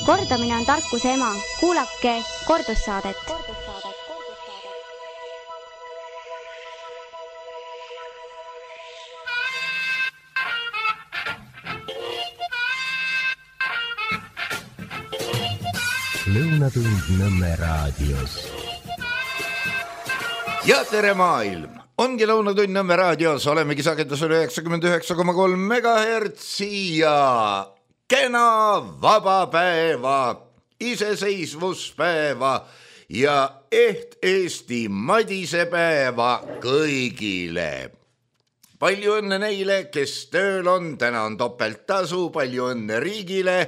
Kordamine on tarkuse ema. Kuulake kordussaadet. Lõunatund Nõmme raadios. Ja tere maailm! Ongi Lõunatund Nõmme raadios, olemegi sagedusel 99,3 MHz ja kena vaba päeva, iseseisvuspäeva ja Eesti madisepäeva kõigile. Palju õnne neile, kes tööl on, täna on topelttasu, palju õnne riigile.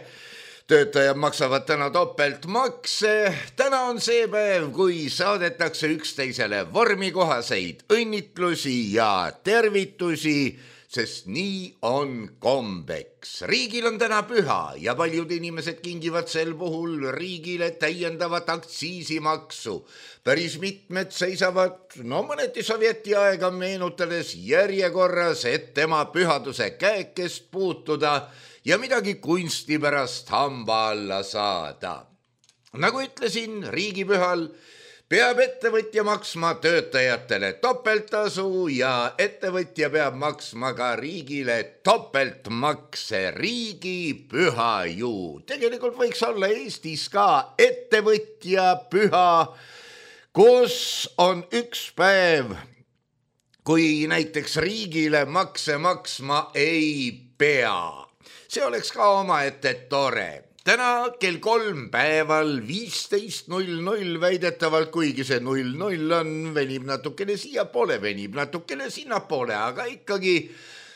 Töötajad maksavad täna topeltmakse. Täna on see päev, kui saadetakse üksteisele vormikohaseid õnnitlusi ja tervitusi, sest nii on kombeks. Riigil on täna püha ja paljud inimesed kingivad sel puhul riigile täiendavat aktsiisimaksu. Päris mitmed seisavad, mõneti sovjeti aega meenutades järjekorras, et tema pühaduse käekest puutuda ja midagi kunsti pärast hamba alla saada. Nagu ütlesin, riigipühal peab ettevõtja maksma töötajatele topelttasu ja ettevõtja peab maksma ka riigile topeltmakse. Riigipüha ju. Tegelikult võiks olla Eestis ka ettevõtja püha, kus on üks päev, kui näiteks riigile makse maksma ei pea. See oleks ka omaette tore. Täna kell 3 päeval 15.00 väidetavalt, kuigi see 00 on, venib natukene siiapoole, venib natukene sinnapoole, aga ikkagi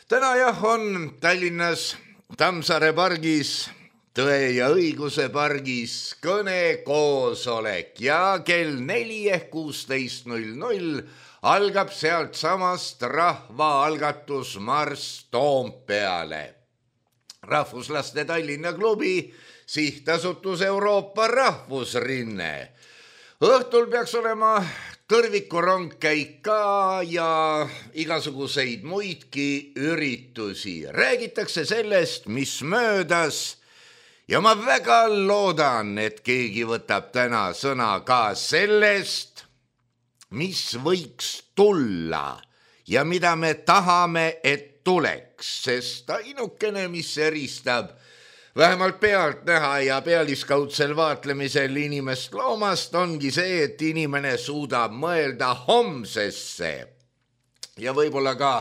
täna on Tallinnas Tammsaare pargis, Tõe ja õiguse pargis kõnekoosolek ja kell 4 ehk 16.00 algab sealt samast rahvaalgatusmarss Toompeale. Rahvuslaste Tallinna klubi, sihtasutus Euroopa Rahvusrinne. Õhtul peaks olema tõrvikurong käik ka ja igasuguseid muidki üritusi. Räägitakse sellest, mis möödas ja ma väga loodan, et keegi võtab täna sõna ka sellest, mis võiks tulla ja mida me tahame, et tuleks, sest ainukene, mis eristab vähemalt pealt näha ja pealiskaudsel vaatlemisel inimest loomast, ongi see, et inimene suudab mõelda homsesse ja võib-olla ka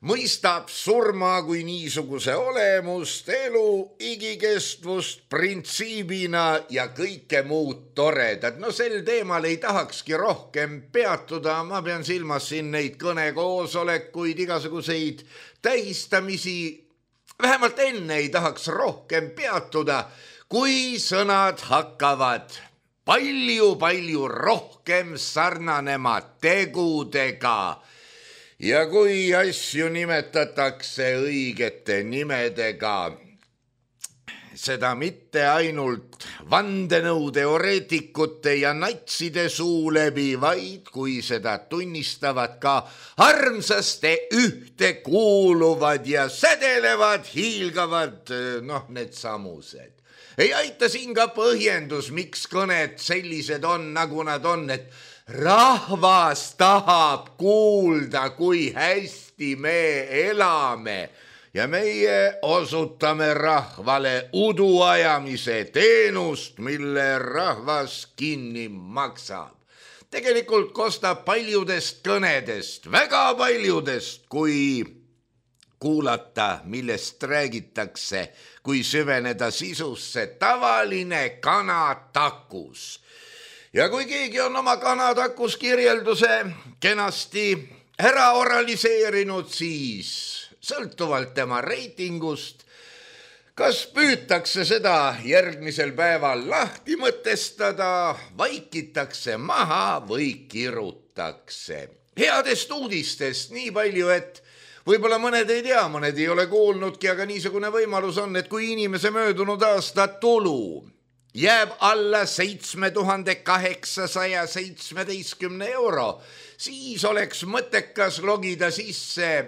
mõistab surma kui niisuguse olemust, elu, igikestvust printsiibina ja kõike muud toredat. Sel teemal ei tahakski rohkem peatuda, ma pean silmas siin neid kõnekoosolekuid, igasuguseid tähistamisi. Vähemalt enne ei tahaks rohkem peatuda, kui sõnad hakkavad palju rohkem sarnanema tegudega. Ja kui asju nimetatakse õigete nimedega, seda mitte ainult vandenõuteoreetikute ja natside suu läbi, vaid kui seda tunnistavad ka armsaste ühtekuuluvad ja sädelevad, hiilgavad, need samused. Ei aita siin ka põhjendus, miks kõned sellised on, nagu nad on, et rahvas tahab kuulda, kui hästi me elame ja meie osutame rahvale uduajamise teenust, mille rahvas kinni maksab. Tegelikult kostab paljudest kõnedest, väga paljudest, kui kuulata, millest räägitakse, kui süveneda sisusse, tavaline kanatakus. Ja kui keegi on oma kanatakus kirjelduse kenasti ära oraliseerinud, siis sõltuvalt tema reitingust, kas püütakse seda järgmisel päeval lahti mõtestada, vaikitakse maha või kirutakse. Headest uudistest nii palju, et võib-olla mõned ei tea, mõned ei ole kuulnudki, aga niisugune võimalus on, et kui inimese möödunud aasta tulu jääb alla 7817 euro, siis oleks mõttekas logida sisse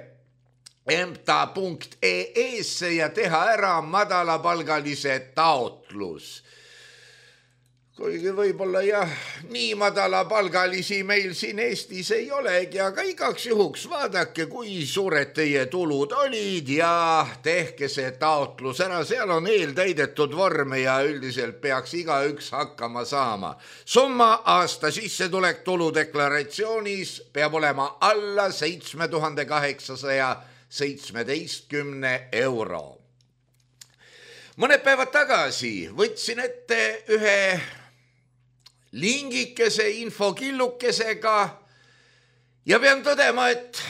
emta.ee-sse ja teha ära madalapalgalise taotlus. Kuigi võib-olla jah, nii madalapalgalisi meil siin Eestis ei olegi, aga igaks juhuks vaadake, kui suured teie tulud olid ja tehke see taotlus ära. Seal on eeltäidetud vorme ja üldiselt peaks igaüks hakkama saama. Summa aasta sissetulek tuludeklaratsioonis peab olema alla 7817 euro. Mõned päevad tagasi võtsin ette ühe lingikese infokillukesega ja pean tõdema, et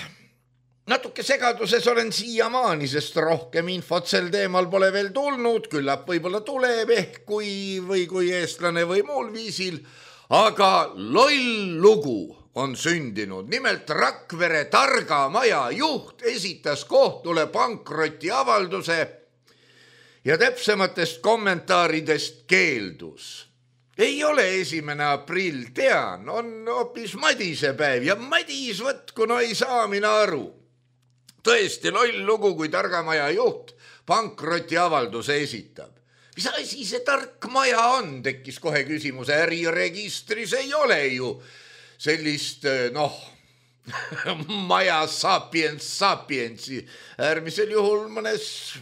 natuke segaduses olen siiamaani, sest rohkem infot sel teemal pole veel tulnud, küllap võib-olla tuleb ehk kui eestlane või muul viisil, aga loll lugu on sündinud. Nimelt Rakvere Targa Maja juht esitas kohtule pankrotiavalduse ja täpsematest kommentaaridest keeldus. Ei ole 1. aprill, tean, on hoopis Madise päev ja Madis, võtku, no ei saa mina aru. Tõesti loll lugu, kui Targa Maja juht pankrotiavalduse esitab. Mis asi see Tark Maja on, tekkis kohe küsimus, äriregistris ei ole ju sellist, maja sapiensi, äärmisel juhul mõnes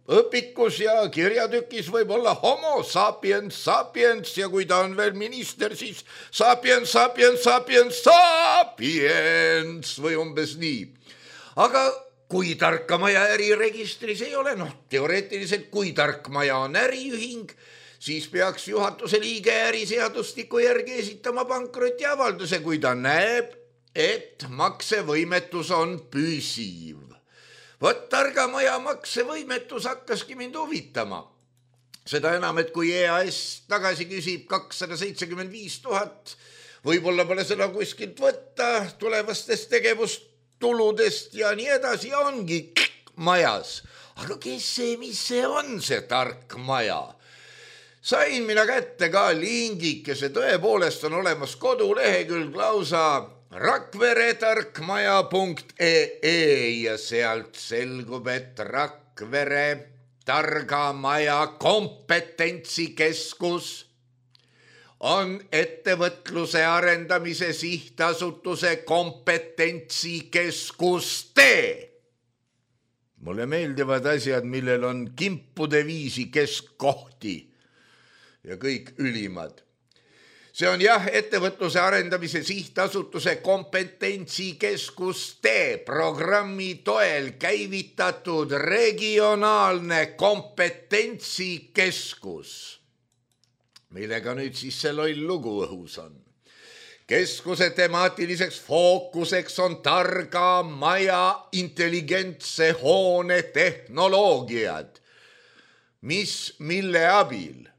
õpikus ja kirjatükis võib olla homo sapiens ja kui ta on veel minister, siis sapiens või umbes nii. Aga kui Tarka Maja äriregistris ei ole, teoreetiliselt kui Tark Maja on äriühing, siis peaks juhatuse liige äriseadustiku järgi esitama pankrotiavalduse, kui ta näeb, et maksevõimetus on püsiv. Vot Targa Maja maksevõimetus hakkaski mind huvitama. Seda enam, et kui EAS tagasi küsib 275 000, võib-olla pole seda kuskilt võtta tulevastest tegevustuludest ja nii edasi ja ongi majas. Aga mis see on see Tark Maja? Sain mina kätte ka lingikese, tõepoolest on olemas kodulehekülg lausa rakveretarkmaja.ee ja sealt selgub, et Rakvere Targa Maja kompetentsikeskus on ettevõtluse arendamise sihtasutuse kompetentsikeskuste. Mulle meeldivad asjad, millel on kimpude viisi keskkohti ja kõik ülimad. See on jah, ettevõtluse arendamise sihtasutuse kompetentsikeskuste programmi toel käivitatud regionaalne kompetentsikeskus, millega nüüd siis see loll lugu õhus on. Keskuse temaatiliseks fookuseks on Targa Maja intelligentse hoone tehnoloogiad, mille abil,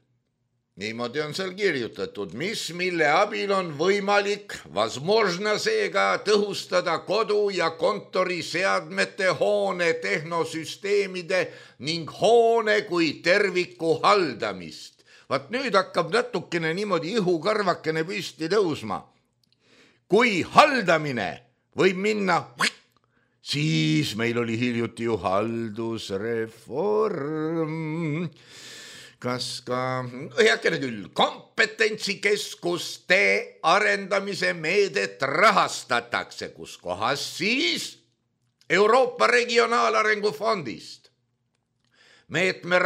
niimoodi on seal kirjutatud, mille abil on võimalik возможно seega tõhustada kodu- ja kontoriseadmete, hoone tehnosüsteemide ning hoone kui terviku haldamist. Vaat nüüd hakkab natukene niimoodi ihukarvakene püsti tõusma. Kui haldamine võib minna, siis meil oli hiljuti ju haldusreform. Kas ka, heakene küll, kompetentsikeskuste arendamise meedet rahastatakse, kus kohas siis Euroopa Regionaalarengu Fondist. Meetme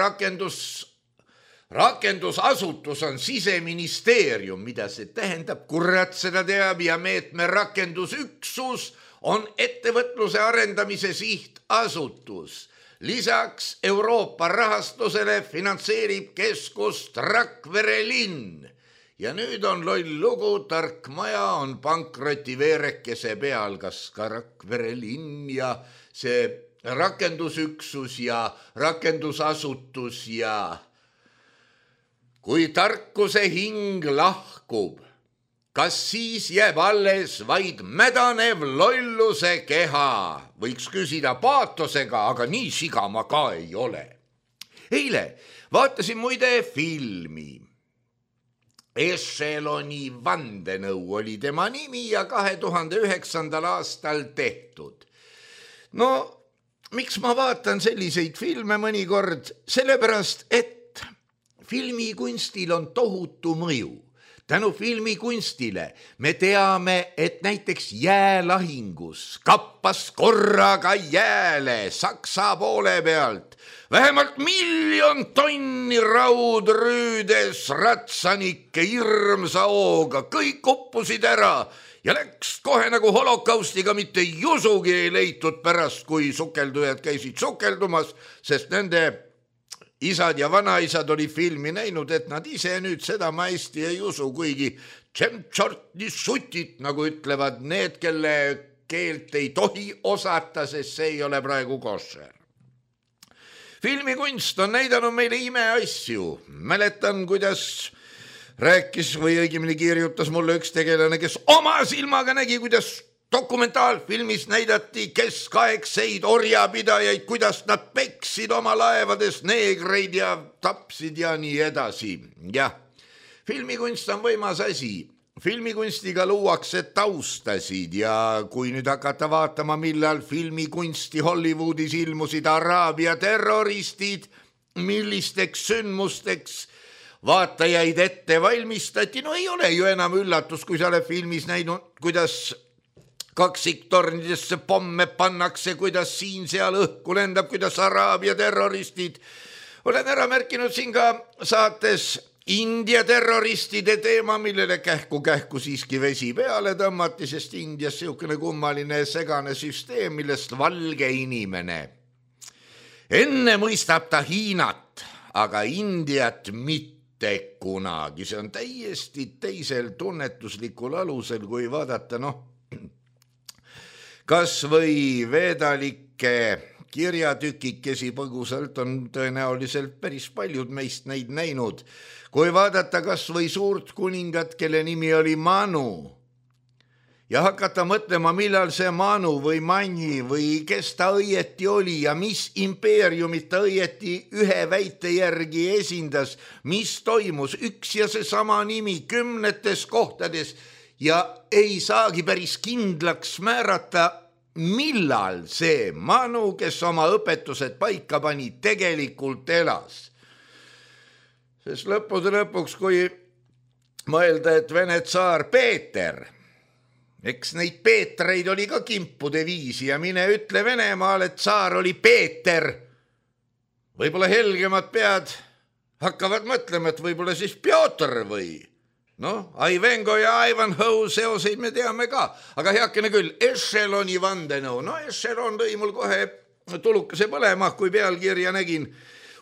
rakendusasutus on Siseministeerium, mida see tähendab, kurat seda teab, ja meetme rakendusüksus on ettevõtluse arendamise sihtasutus. Lisaks Euroopa rahastusele finantseerib keskust Rakvere linn. Ja nüüd on loll lugu, Tark Maja on pankrotiveerekese peal, kas ka Rakvere linn ja see rakendusüksus ja rakendusasutus ja kui tarkuse hing lahkub, kas siis jääb alles vaid mädanev lolluse keha? Võiks küsida paatosega, aga nii siga ma ka ei ole. Eile vaatasin muide filmi. Echeloni vandenõu oli tema nimi ja 2009. aastal tehtud. No, miks ma vaatan selliseid filme mõnikord? Sellepärast, et filmikunstil on tohutu mõju. Tänu filmikunstile me teame, et näiteks jäälahingus kappas korraga jääle Saksa poole pealt vähemalt 1 000 000 tonni raudrüüdes ratsanikke hirmsa hooga, kõik uppusid ära ja läks kohe nagu holokaustiga, mitte jusugi ei leitud pärast, kui sukeldujad käisid sukeldumas, sest nende isad ja vanaisad oli filmi näinud, et nad ise nüüd seda ma hästi ei usu, kuigi tšemtšorti sutit, nagu ütlevad need, kelle keelt ei tohi osata, sest see ei ole praegu košer. Filmikunst on näidanud meile imeasju. Mäletan, kuidas rääkis või õigemini kirjutas mulle üks tegelane, kes oma silmaga nägi, kuidas dokumentaalfilmis näidati keskaegseid orjapidajaid, kuidas nad peksid oma laevades neegreid ja tapsid ja nii edasi. Jah, filmikunst on võimas asi. Filmikunstiga luuakse taustasid ja kui nüüd hakata vaatama, millal filmikunsti Hollywoodis ilmusid Araabia terroristid, millisteks sündmusteks vaatajaid ette valmistati, no ei ole ju enam üllatus, kui sa oled filmis näinud, kuidas kaksiktornidesse pomme pannakse, kuidas siin-seal õhku lendab, kuidas Araabia terroristid. Olen ära märkinud siin ka saates India terroristide teema, millele kähku siiski vesi peale tõmmati, sest Indias siukene kummaline segane süsteem, millest valge inimene enne mõistab ta Hiinat, aga Indiat mitte kunagi. See on täiesti teisel tunnetuslikul alusel, kui vaadata, kas või veedalikke kirjatükikesi põgusalt on tõenäoliselt päris paljud meist neid näinud. Kui vaadata kas või suurt kuningat, kelle nimi oli Manu ja hakata mõtlema, millal see Manu või Mani või kes ta õieti oli ja mis impeeriumit ta õieti ühe väite järgi esindas, mis toimus, üks ja seesama nimi 10 kohtades ja ei saagi päris kindlaks määrata, millal see Manu, kes oma õpetused paika pani, tegelikult elas. Sest lõppude lõpuks, kui mõelda, et Vene tsaar Peeter, eks neid Peetreid oli ka kimpude viisi ja mine ütle Venemaal, et tsaar oli Peeter. Võib-olla helgemad pead hakkavad mõtlema, et võib-olla siis Piotr või Ivango ja Ivanhoe seoseid me teame ka, aga heakene küll, Echeloni vandenõu. Echelon lõi mul kohe tulukese põlema, kui pealkirja nägin.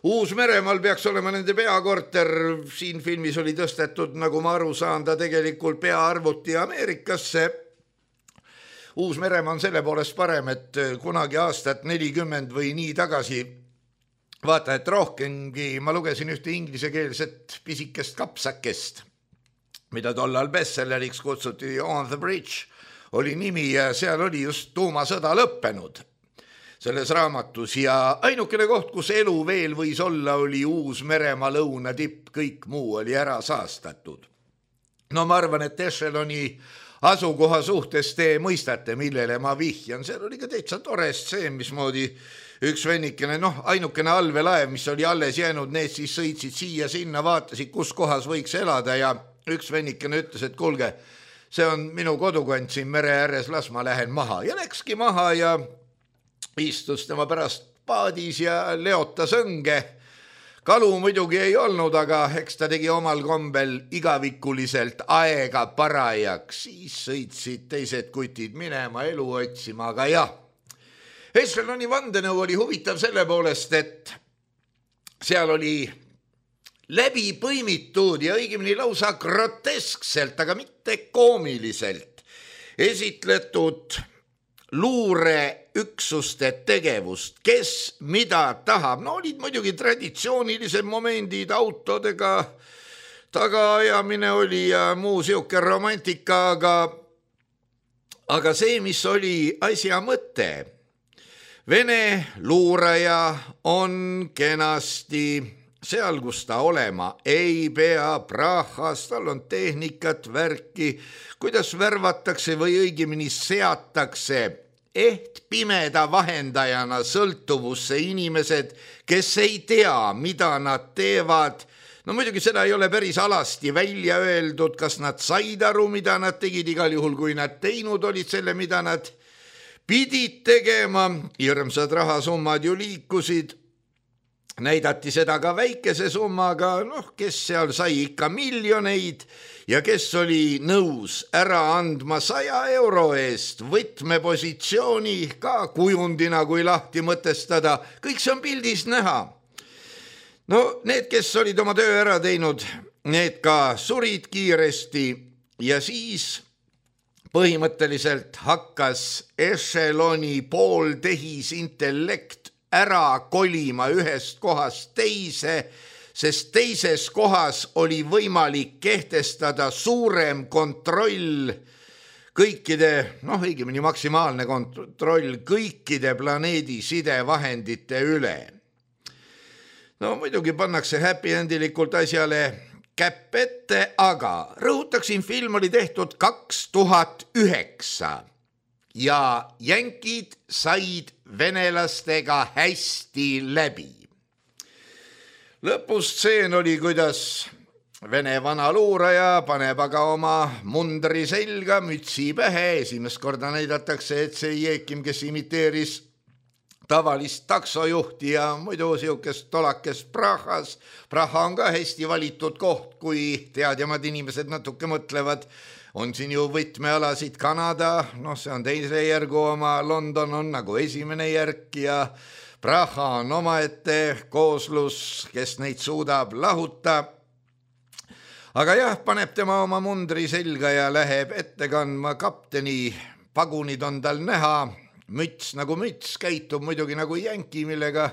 Uus-Meremaal peaks olema nende peakorter, siin filmis oli tõstetud, nagu ma aru saan, ta tegelikult peaarvuti Ameerikasse. Uus-Meremaa on selle poolest parem, et kunagi aastat 40 või nii tagasi, vaata, et rohkemgi, ma lugesin ühte inglisekeelset pisikest kapsakest, mida tollal bestselleriks kutsuti On the Bridge, oli nimi ja seal oli just tuumasõda lõppenud selles raamatus ja ainukene koht, kus elu veel võis olla, oli Uus-Meremaa lõunatipp, kõik muu oli ära saastatud. Ma arvan, et Echeloni asukoha suhtes te mõistate, millele ma vihjan. Seal oli ka täitsa tore stseen, mismoodi üks vennikene, ainukene allveelaev, mis oli alles jäänud, need siis sõitsid siia sinna, vaatasid, kus kohas võiks elada ja üks vennikene ütles, et kuulge, see on minu kodukant siin mere ääres, las ma lähen maha. Ja läkski maha ja istus tema pärast paadis ja leotas õnge. Kalu muidugi ei olnud, aga eks ta tegi omal kombel igavikuliselt aega parajaks. Siis sõitsid teised kutid minema elu otsima, aga jah. Echeloni vandenõu oli huvitav selle poolest, et seal oli läbi põimitud ja õigemini lausa groteskselt, aga mitte koomiliselt esitletud luureüksuste tegevust, kes mida tahab. Olid muidugi traditsioonilised momendid, autodega tagaajamine oli ja muu siuke romantika, aga see, mis oli asja mõte. Vene luuraja on kenasti seal, kus ta olema ei pea, Prahas, tal on tehnikat, värki, kuidas värvatakse või õigemini seatakse pimeda vahendajana sõltuvusse inimesed, kes ei tea, mida nad teevad. No muidugi seda ei ole päris alasti välja öeldud, kas nad said aru, mida nad tegid, igal juhul kui nad teinud olid selle, mida nad pidid tegema. Hirmsad rahasummad ju liikusid. Näidati seda ka väikese summaga, kes seal sai ikka miljoneid ja kes oli nõus ära andma 100 euro eest võtmepositsiooni ka kujundina, kui lahti mõtestada. Kõik see on pildis näha. No need, kes olid oma töö ära teinud, need ka surid kiiresti ja siis põhimõtteliselt hakkas ešeloni pooltehisintellekt ära kolima ühest kohast teise, sest teises kohas oli võimalik kehtestada suurem kontroll kõikide, õigemini maksimaalne kontroll kõikide planeedi sidevahendite üle. No muidugi pannakse happy endilikult asjale käpp ette, aga rõhutaksin, film oli tehtud 2009 ja jänkid said venelastega hästi läbi. Lõpustseen oli, kuidas Vene vanaluuraja paneb aga oma mundri selga, mütsi pähe. Esimest korda näidatakse, et see Jeekim, kes imiteeris tavalist taksojuhti ja muidu siukest tolakest Prahas. Praha on ka hästi valitud koht, kui teadjamad inimesed natuke mõtlevad. On siin ju võtmealasid Kanada, see on teise järgu oma, London on nagu esimene järk ja Praha on omaette kooslus, kes neid suudab lahuta. Aga jah, paneb tema oma mundri selga ja läheb ette kandma kapteni. Pagunid on tal näha, müts nagu müts, käitub muidugi nagu jänki, millega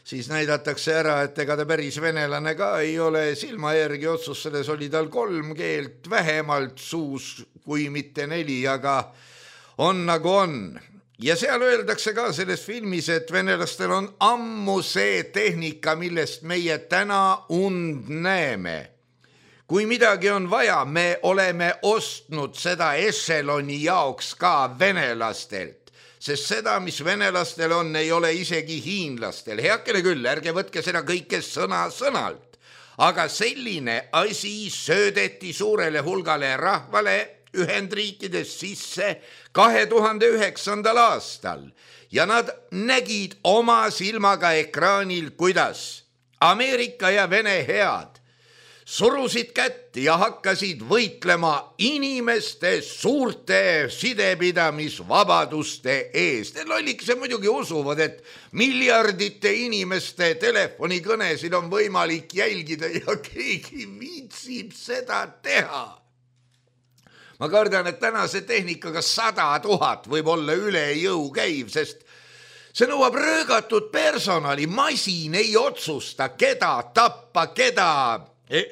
siis näidatakse ära, et ega ta päris venelane ka ei ole. Silma järgi otsustades oli tal 3 keelt vähemalt suus, kui mitte 4, aga on nagu on. Ja seal öeldakse ka selles filmis, et venelastel on ammu see tehnika, millest meie täna und näeme. Kui midagi on vaja, me oleme ostnud seda ešeloni jaoks ka venelastelt. Sest seda, mis venelastel on, ei ole isegi hiinlastel. Heakene küll, ärge võtke seda kõike sõnalt. Aga selline asi söödeti suurele hulgale rahvale Ühendriikides sisse 2009. aastal. Ja nad nägid oma silmaga ekraanil, kuidas Ameerika ja Vene head surusid kätt ja hakkasid võitlema inimeste suurte sidepidamisvabaduste eest. Lollikese muidugi usuvad, et miljardite inimeste telefonikõnesid on võimalik jälgida ja keegi viitsib seda teha. Ma kardan, et tänase tehnikaga 100 000 võib olla üle jõu käiv, sest see nõuab röögatud personali. Masin ei otsusta, keda tappa, keda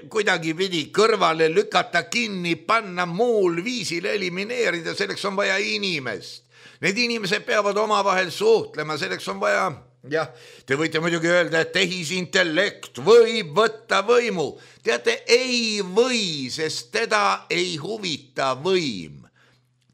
kuidagi pidi kõrvale lükata, kinni panna, muul viisil elimineerida, selleks on vaja inimest. Need inimesed peavad omavahel suhtlema, selleks on vaja, jah, te võite muidugi öelda, et tehisintellekt võib võtta võimu. Teate, ei või, sest teda ei huvita võim.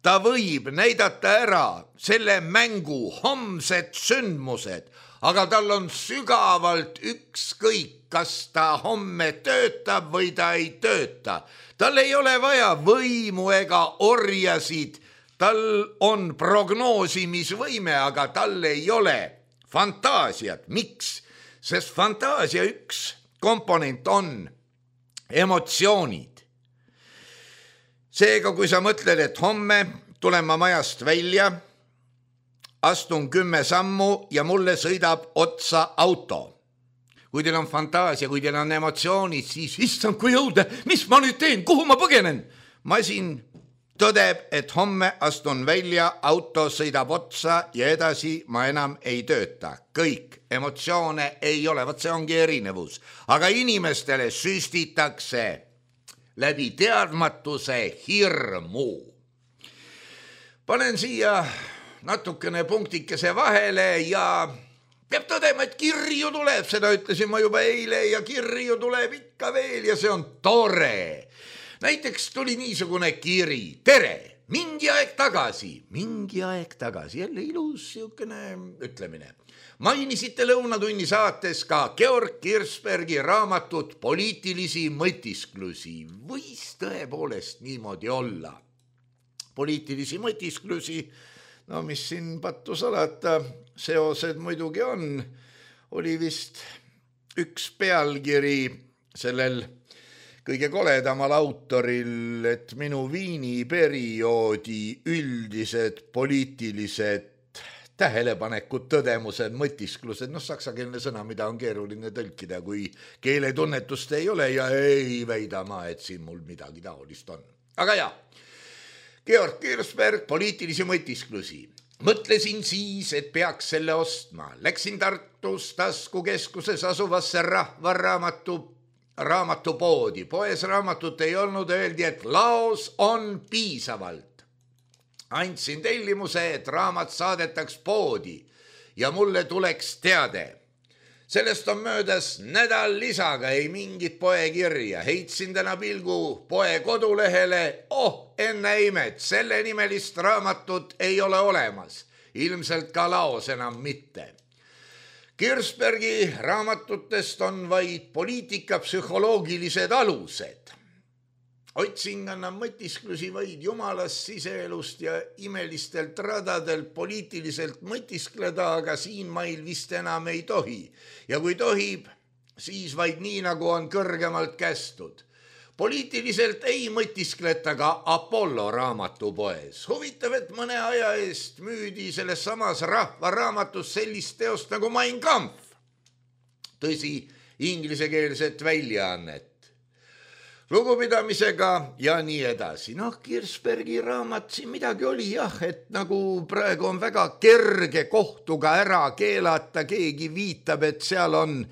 Ta võib näidata ära selle mängu homsed sündmused, aga tal on sügavalt ükskõik, kas ta homme töötab või ta ei tööta. Tal ei ole vaja võimu ega orjasid, tal on prognoosimisvõime, aga tal ei ole fantaasiat. Miks? Sest fantaasia üks komponent on emotsioonid. Seega, kui sa mõtled, et homme tulen ma majast välja, astun 10 sammu ja mulle sõidab otsa auto. Kui teil on fantaasia, kui teil on emotsioonid, siis issand, kui õudne, mis ma nüüd teen, kuhu ma põgenen? Masin tõdeb, et homme astun välja, auto sõidab otsa ja edasi ma enam ei tööta. Kõik emotsioone ei ole, vaat see ongi erinevus. Aga inimestele süstitakse läbi teadmatuse hirmu. Panen siia natukene punktikese vahele ja peab tõdema, et kirju tuleb, seda ütlesin ma juba eile ja kirju tuleb ikka veel ja see on tore. Näiteks tuli niisugune kiri. Tere, mingi aeg tagasi, jälle ilus siukene ütlemine. Mainisite Lõunatunni saates ka Georg Kirsbergi raamatut Poliitilisi mõtisklusi. Võis tõepoolest niimoodi olla. Poliitilisi mõtisklusi, no mis siin pattu salata, seosed muidugi on, oli vist üks pealkiri sellel kõige koledamal autoril, et minu viiniperioodi üldised poliitilised tähelepanekud, tõdemused, mõtisklused, saksakeelne sõna, mida on keeruline tõlkida, kui keeletunnetust ei ole ja ei väida ma, et siin mul midagi taolist on. Aga jah, Georg Kirsberg, Poliitilisi mõtisklusi. Mõtlesin siis, et peaks selle ostma. Läksin Tartus taskukeskuses asuvasse raamatupoodi. Poes raamatut ei olnud, öeldi, et laos on piisavalt. Andsin tellimuse, et raamat saadetaks poodi ja mulle tuleks teade. Sellest on möödas nädal lisaga, ei mingit poekirja. Heitsin täna pilgu poe kodulehele. Enne imet, selle nimelist raamatut ei ole olemas. Ilmselt ka laos enam mitte. Kirsbergi raamatutest on vaid poliitikapsühholoogilised alused. Otsin annan mõtisklusi vaid jumalast, siseelust ja imelistelt radadelt poliitiliselt mõtiskleda, aga siin mail vist enam ei tohi. Ja kui tohib, siis vaid nii, nagu on kõrgemalt kästud. Poliitiliselt ei mõtiskleta ka Apollo raamatupoes. Huvitav, et mõne aja eest müüdi selles samas rahvaraamatus sellist teost nagu Mein Kampf. Tõsi, inglisekeelset väljaannet. Lugupidamisega ja nii edasi. Kirsbergi raamat siin midagi oli jah, et nagu praegu on väga kerge kohtuga ära keelata, keegi viitab, et seal on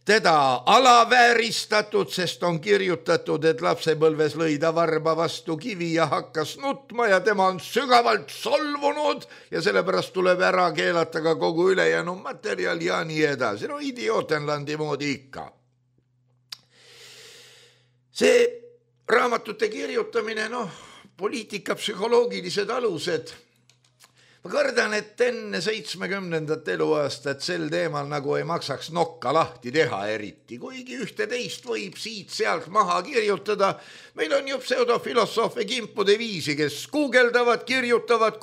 teda alavääristatud, sest on kirjutatud, et lapsepõlves lõi ta varba vastu kivi ja hakkas nutma ja tema on sügavalt solvunud ja sellepärast tuleb ära keelata ka kogu ülejäänu materjal ja nii edasi. Idiootenlandi moodi ikka. See raamatute kirjutamine, poliitikapsühholoogilised alused. Ma kardan, et enne 70. eluaastat sel teemal nagu ei maksaks nokka lahti teha eriti, kuigi ühte teist võib siit-sealt maha kirjutada. Meil on ju pseudofilosoofe kimpude viisi, kes guugeldavad, kirjutavad,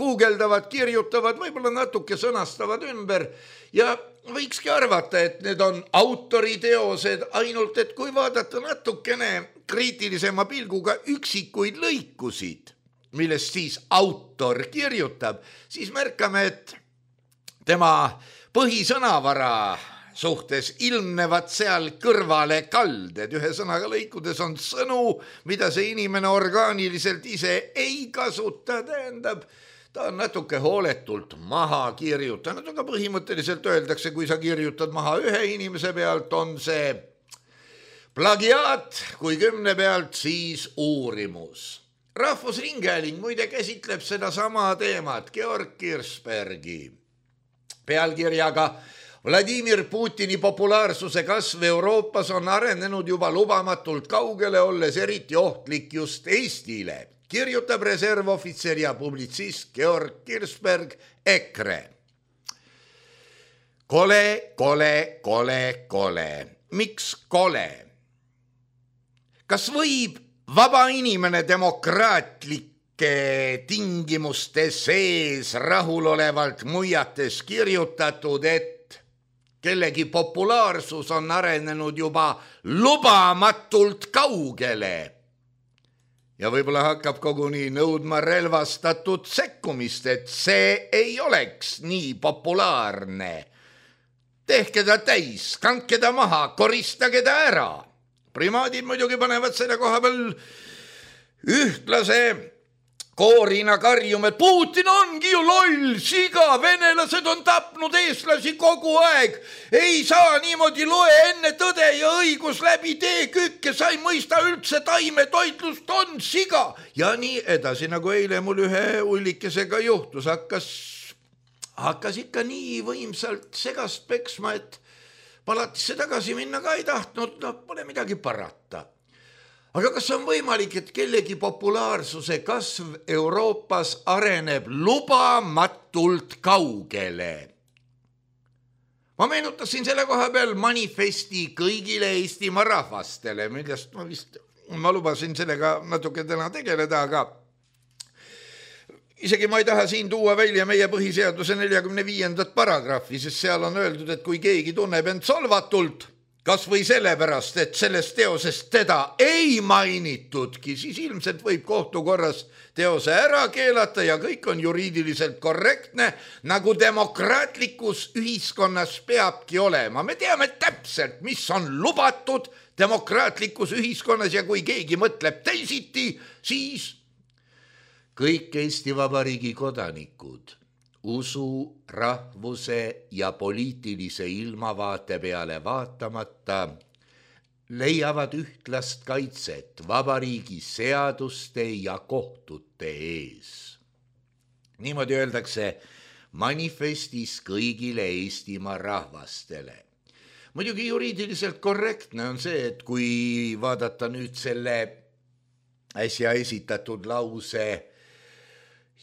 võib-olla natuke sõnastavad ümber ja võikski arvata, et need on autoriteosed, ainult et kui vaadata natukene kriitilisema pilguga üksikuid lõikusid, millest siis autor kirjutab, siis märkame, et tema põhisõnavara suhtes ilmnevad seal kõrvale kalded. Ühe sõnaga lõikudes on sõnu, mida see inimene orgaaniliselt ise ei kasuta, tähendab, ta on natuke hooletult maha kirjutanud, aga põhimõtteliselt öeldakse, kui sa kirjutad maha ühe inimese pealt, on see plagiaat, kui 10 pealt, siis uurimus. Rahvusringhääling muide käsitleb seda sama teemat Georg Kirsbergi pealkirjaga Vladimir Putini populaarsuse kasv Euroopas on arenenud juba lubamatult kaugele, olles eriti ohtlik just Eestile. Kirjutab reservohvitser ja publitsist Georg Kirsberg, EKRE. Kole. Miks kole? Kas võib vaba inimene demokraatlike tingimuste sees rahulolevalt muiates kirjutatud, et kellegi populaarsus on arenenud juba lubamatult kaugele ja võib-olla hakkab koguni nõudma relvastatud sekkumist, et see ei oleks nii populaarne. Tehke ta täis, kandke ta maha, koristage ta ära. Primaadid muidugi panevad selle koha peal ühtlase koorina karjuma, et Putin ongi ju loll, siga, venelased on tapnud eestlasi kogu aeg. Ei saa niimoodi loe enne tõde ja õigus läbi tee kükke, sa ei mõista üldse taimetoitlust, on siga. Ja nii edasi, nagu eile mul ühe ullikesega juhtus, hakkas ikka nii võimsalt segast peksma, et palatisse tagasi minna ka ei tahtnud, pole midagi parata. aga kas on võimalik, et kellegi populaarsuse kasv Euroopas areneb lubamatult kaugele? Ma meenutasin selle koha peal manifesti kõigile Eestimaa rahvastele, millest ma lubasin sellega natuke täna tegeleda, aga isegi ma ei taha siin tuua välja meie põhiseaduse 45. paragrahvi, sest seal on öeldud, et kui keegi tunneb end solvatult, kas või sellepärast, et sellest teosest teda ei mainitudki, siis ilmselt võib kohtukorras teose ära keelata ja kõik on juriidiliselt korrektne, nagu demokraatlikus ühiskonnas peabki olema. Me teame täpselt, mis on lubatud demokraatlikus ühiskonnas ja kui keegi mõtleb teisiti, siis kõik Eesti Vabariigi kodanikud usu, rahvuse ja poliitilise ilmavaate peale vaatamata leiavad ühtlast kaitset vabariigi seaduste ja kohtute ees. Niimoodi öeldakse manifestis kõigile Eestimaa rahvastele. Muidugi juriidiliselt korrektne on see, et kui vaadata nüüd selle äsja esitatud lause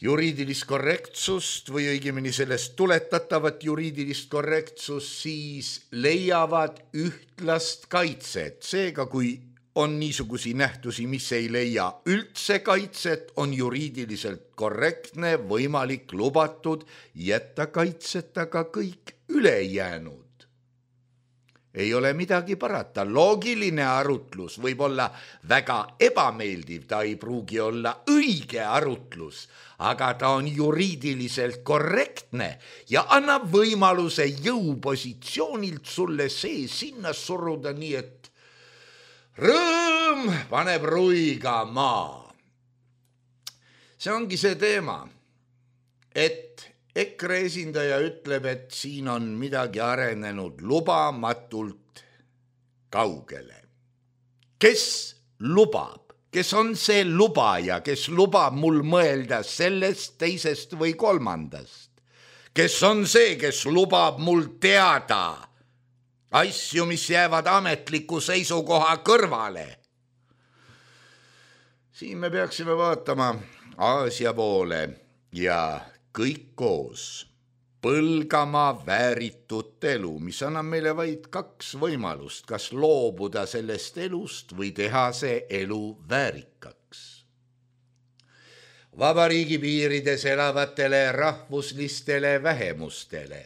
juriidilist korrektsust või õigemini sellest tuletatavat juriidilist korrektsust, siis leiavad ühtlast kaitset. Seega, kui on niisugusi nähtusi, mis ei leia üldse kaitset, on juriidiliselt korrektne, võimalik, lubatud jätta kaitseta ka kõik ülejäänud. Ei ole midagi parata. Loogiline arutlus võib olla väga ebameeldiv, ta ei pruugi olla õige arutlus, aga ta on juriidiliselt korrektne ja annab võimaluse jõupositsioonilt sulle see sinna suruda nii, et rõõm paneb ruiga maa. See ongi see teema, et EKRE esindaja ütleb, et siin on midagi arenenud lubamatult kaugele. Kes lubab? Kes on see lubaja, kes lubab mul mõelda sellest, teisest või kolmandast? Kes on see, kes lubab mul teada asju, mis jäävad ametliku seisukoha kõrvale? Siin me peaksime vaatama Aasia poole ja kõik koos põlgama vääritut elu, mis annab meile vaid kaks võimalust, kas loobuda sellest elust või teha see elu väärikaks. Vabariigi piirides elavatele rahvuslistele vähemustele,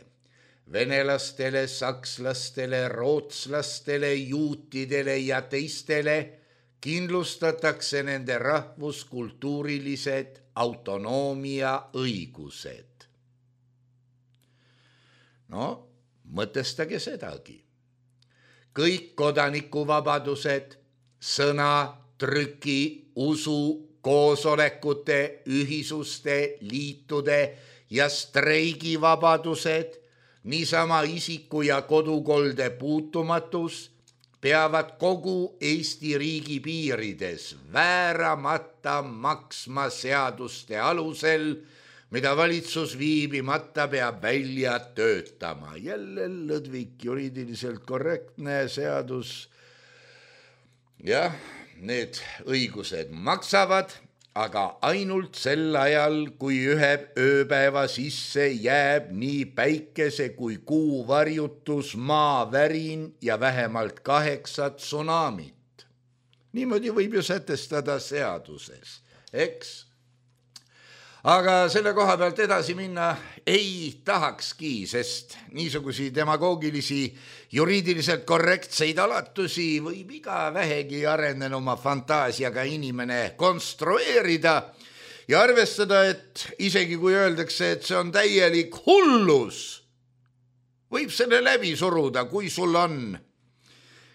venelastele, sakslastele, rootslastele, juutidele ja teistele kindlustatakse nende rahvuskultuurilised autonoomia õigused. No, mõtestage sedagi. Kõik kodanikuvabadused, sõna, trüki, usu, koosolekute, ühisuste, liitude ja streigivabadused, niisama isiku ja kodukolde puutumatus peavad kogu Eesti riigi piirides vääramata maksma seaduste alusel, mida valitsus viibimata peab välja töötama. Jälle lõdvik, juriidiliselt korrektne seadus. Jah, need õigused maksavad, aga ainult sel ajal, kui ühe ööpäeva sisse jääb nii päikese kui kuu varjutus, maavärin ja vähemalt 8 tsunamit. Niimoodi võib ju sätestada seaduses, eks? Aga selle koha pealt edasi minna ei tahakski, sest niisugusi demagoogilisi juriidiliselt korrektseid alatusi võib iga vähegi arenenuma fantaasiaga inimene konstrueerida ja arvestada, et isegi kui öeldakse, et see on täielik hullus, võib selle läbi suruda, kui sul on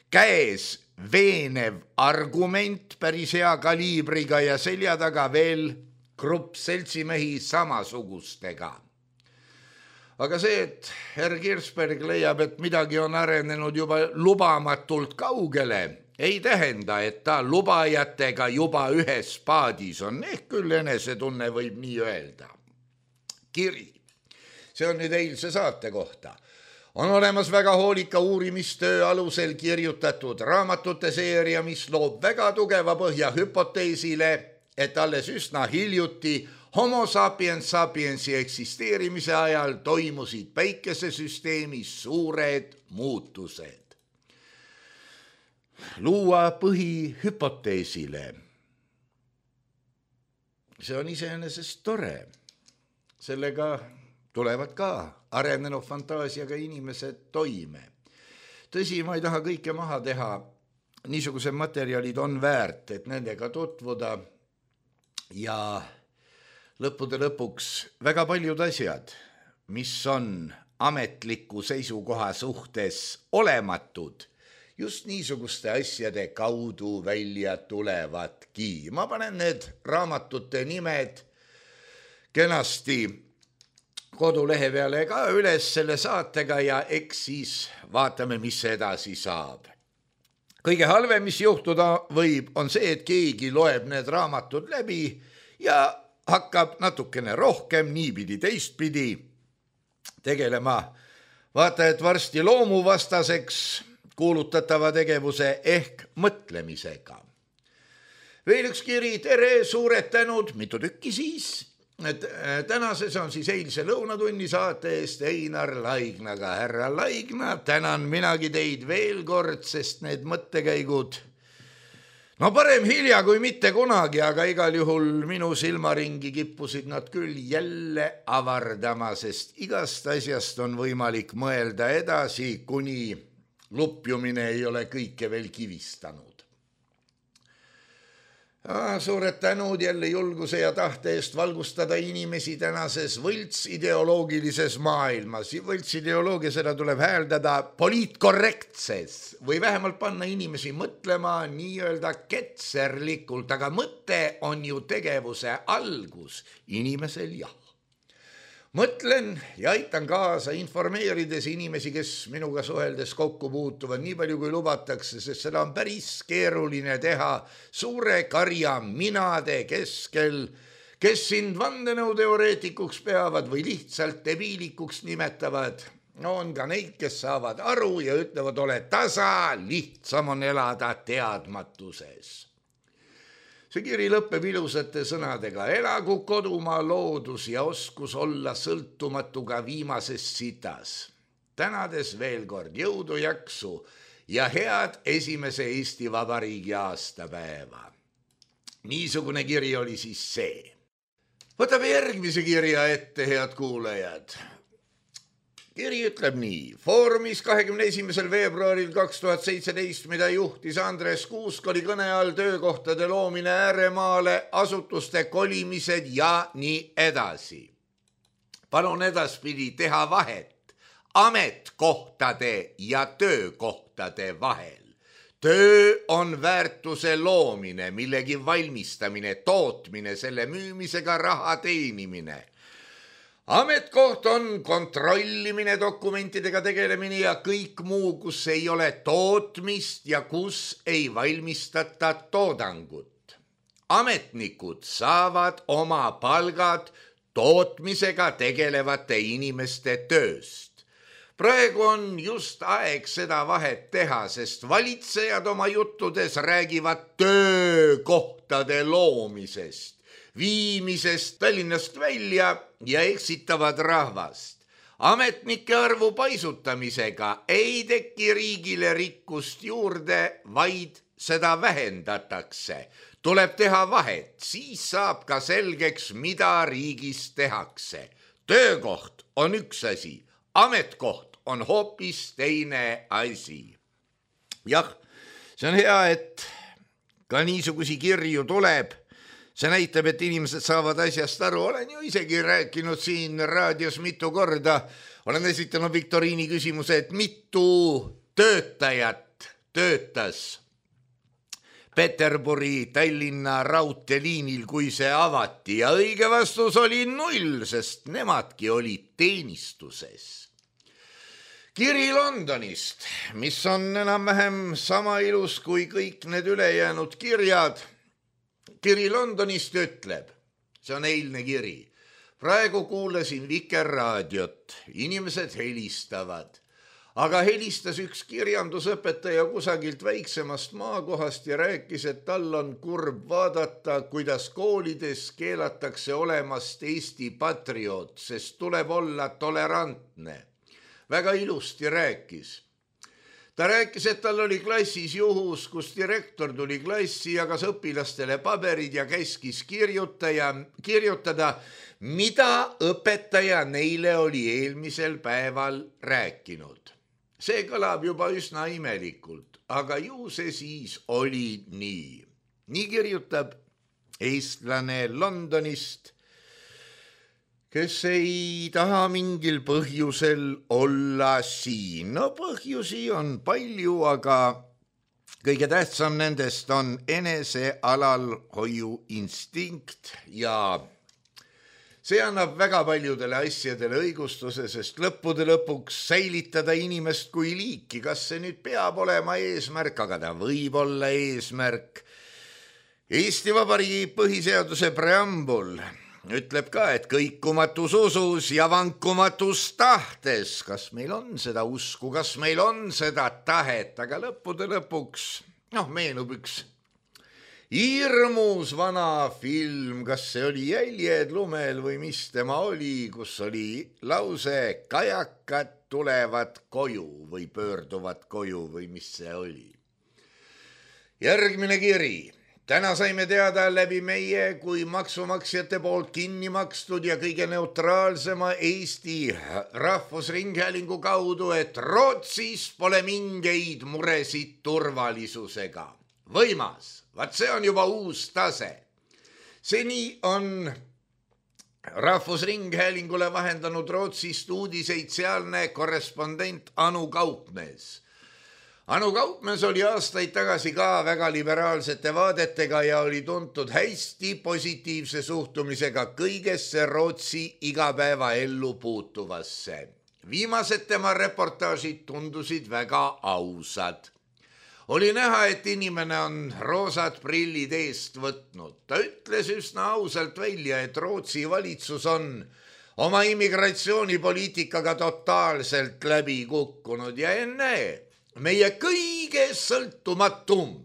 käes veenev argument päris hea kaliibriga ja selja taga veel grupp seltsimehi samasugustega. Aga see, et herr Kirsberg leiab, et midagi on arenenud juba lubamatult kaugele, ei tähenda, et ta lubajatega juba ühes paadis on, ehk küll enesetunne võib nii öelda. Kiri. See on nüüd eilse saate kohta. On olemas väga hoolika uurimistöö alusel kirjutatud raamatute seeria, mis loob väga tugeva põhja hüpoteesile, et alles üsna hiljuti Homo sapiens sapiensi eksisteerimise ajal toimusid päikesesüsteemis suured muutused. Luua põhihüpoteesile. See on iseenesest tore. Sellega tulevad ka arenenud fantaasiaga inimesed toime. Tõsi, ma ei taha kõike maha teha. Niisugused materjalid on väärt, et nendega tutvuda. Ja lõppude lõpuks väga paljud asjad, mis on ametliku seisukoha suhtes olematud, just niisuguste asjade kaudu välja tulevadki. Ma panen need raamatute nimed kenasti kodulehe peale ka üles selle saatega ja eks siis vaatame, mis edasi saab. Kõige halvem, mis juhtuda võib, on see, et keegi loeb need raamatud läbi ja hakkab natukene rohkem niipidi teistpidi tegelema. Vaata, et varsti loomuvastaseks kuulutatava tegevuse ehk mõtlemisega. Veel üks kiri, tere, suured tänud, mitu tükki siis? Tänases on siis eilse lõunatunni saate eest Einar Laignaga. Härra Laigna, tänan minagi teid veel kord, sest need mõttekäigud, no parem hilja kui mitte kunagi, aga igal juhul minu silmaringi kippusid nad küll jälle avardama, sest igast asjast on võimalik mõelda edasi, kuni lupjumine ei ole kõike veel kivistanud. Suured tänud jälle julguse ja tahte eest valgustada inimesi tänases võltsideoloogilises maailmas. Võltsideoloogia, seda tuleb hääldada poliitkorrektses või vähemalt panna inimesi mõtlema nii-öelda ketserlikult, aga mõte on ju tegevuse algus inimesel jah. Mõtlen ja aitan kaasa, informeerides inimesi, kes minuga suheldes kokku puutuvad, nii palju kui lubatakse, sest seda on päris keeruline teha suure karja minade keskel, kes sind vandenõuteoreetikuks peavad või lihtsalt debiilikuks nimetavad. No on ka neid, kes saavad aru ja ütlevad, ole tasa, lihtsam on elada teadmatuses. See kiri lõppeb ilusate sõnadega. Elagu kodumaa loodus ja oskus olla sõltumatuga viimases sitas. Tänades veel kord jõudu, jaksu ja head 1. Eesti Vabariigi aastapäeva. Niisugune kiri oli siis see. Võtame järgmise kirja ette, head kuulajad. Kiri ütleb nii. Foorumis 21. veebruaril 2017, mida juhtis Andres Kuusk, oli kõne all töökohtade loomine ääremaale, asutuste kolimised ja nii edasi. Palun edaspidi teha vahet ametkohtade ja töökohtade vahel. Töö on väärtuse loomine, millegi valmistamine, tootmine, selle müümisega raha teenimine. Ametkoht on kontrollimine, dokumentidega tegelemine ja kõik muu, kus ei ole tootmist ja kus ei valmistata toodangut. Ametnikud saavad oma palgad tootmisega tegelevate inimeste tööst. Praegu on just aeg seda vahet teha, sest valitsejad oma juttudes räägivad töökohtade loomisest, viimisest Tallinnast välja ja eksitavad rahvast. Ametnike arvu paisutamisega ei teki riigile rikkust juurde, vaid seda vähendatakse. Tuleb teha vahet, siis saab ka selgeks, mida riigis tehakse. Töökoht on üks asi, ametkoht on hoopis teine asi. Jah, see on hea, et ka niisugusi kirju tuleb. See näitab, et inimesed saavad asjast aru. Olen ju isegi rääkinud siin raadios mitu korda. Olen esitanud viktoriini küsimuse, et mitu töötajat töötas Peterburi Tallinna raudteeliinil, kui see avati. Ja õige vastus oli 0, sest nemadki olid teenistuses. Kiri Londonist, mis on enam-vähem sama ilus kui kõik need ülejäänud kirjad. Kiri Londonist ütleb, see on eilne kiri. Praegu kuulasin Vikerraadiot, inimesed helistavad. aga helistas üks kirjandusõpetaja kusagilt väiksemast maakohast ja rääkis, et tal on kurb vaadata, kuidas koolides keelatakse olemast Eesti patrioot, sest tuleb olla tolerantne. Väga ilusti rääkis. Ta rääkis, et tal oli klassis juhus, kus direktor tuli klassi, jagas õpilastele paberid ja käskis kirjutada, mida õpetaja neile oli eelmisel päeval rääkinud. See kõlab juba üsna imelikult, aga ju see siis oli nii. Nii kirjutab eestlane Londonist, kes ei taha mingil põhjusel olla siin. No põhjusi on palju, aga kõige tähtsam nendest on enesealalhoiu instinkt ja see annab väga paljudele asjadele õigustuse, sest lõppude lõpuks säilitada inimest kui liiki. Kas see nüüd peab olema eesmärk, aga ta võib olla eesmärk. Eesti Vabariigi põhiseaduse preambul ütleb ka, et kõikumatus usus ja vankumatus tahtes. Kas meil on seda usku, kas meil on seda tahet, aga lõppude lõpuks, meenub üks hirmus vana film, kas see oli Jäljed lumel või mis tema oli, kus oli lause kajakad tulevad koju või pöörduvad koju või mis see oli. Järgmine kiri. Täna saime teada läbi meie kui maksumaksjate poolt kinni makstud ja kõige neutraalsema Eesti Rahvusringhäälingu kaudu, et Rootsis pole mingeid muresid turvalisusega. Võimas, vaat see on juba uus tase. Seni on Rahvusringhäälingule vahendanud Rootsist uudiseid sealne korrespondent Anu Kaupmees. Anu Kaupmees oli aastaid tagasi ka väga liberaalsete vaadetega ja oli tuntud hästi positiivse suhtumisega kõigesse Rootsi igapäevaellu puutuvasse. Viimased tema reportaažid tundusid väga ausad. Oli näha, et inimene on roosad prillid eest võtnud. Ta ütles üsna ausalt välja, et Rootsi valitsus on oma immigratsioonipoliitikaga totaalselt läbi kukkunud ja ennäe. Meie kõige sõltumatum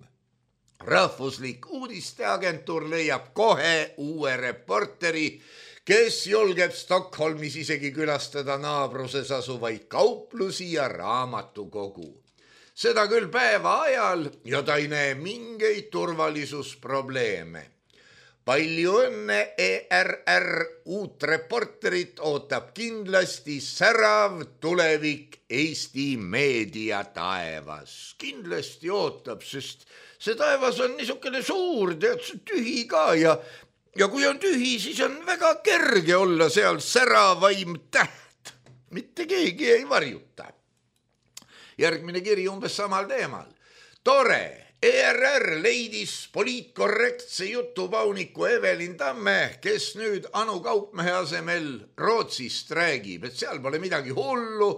rahvuslik uudisteagentuur leiab kohe uue reporteri, kes julgeb Stockholmis isegi külastada naabruses asuvaid kauplusi ja raamatukogu. Seda küll päeva ajal ja ta ei näe mingeid turvalisusprobleeme. Palju õnne ERR, uut reporterit ootab kindlasti särav tulevik Eesti meedia taevas. Kindlasti ootab, sest see taevas on niisugune suur, tead, tühi ka ja kui on tühi, siis on väga kerge olla seal säravaim täht. Mitte keegi ei varjuta. Järgmine kiri umbes samal teemal. Tore! ERR leidis poliitkorrektse jutupauniku Evelin Tamme, kes nüüd Anu Kaupmehe asemel Rootsist räägib, et seal pole midagi hullu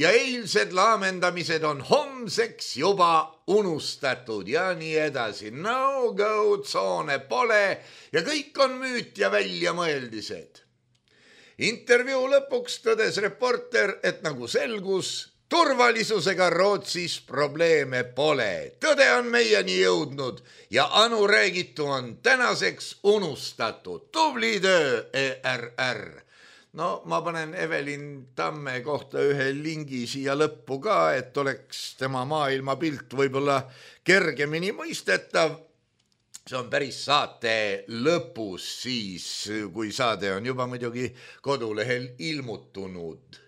ja eilsed laamendamised on homseks juba unustatud ja nii edasi. No-go tsoone pole ja kõik on müüt ja väljamõeldised. Intervjuu lõpuks tõdes reporter, et nagu selgus, turvalisusega Rootsis probleeme pole. Tõde on meieni jõudnud ja Anu räägitu on tänaseks unustatud. Tubli töö, ERR. No ma panen Evelin Tamme kohta ühe lingi siia lõppu ka, et oleks tema maailmapilt võib-olla kergemini mõistetav. See on päris saate lõpus siis, kui saade on juba muidugi kodulehel ilmutunud.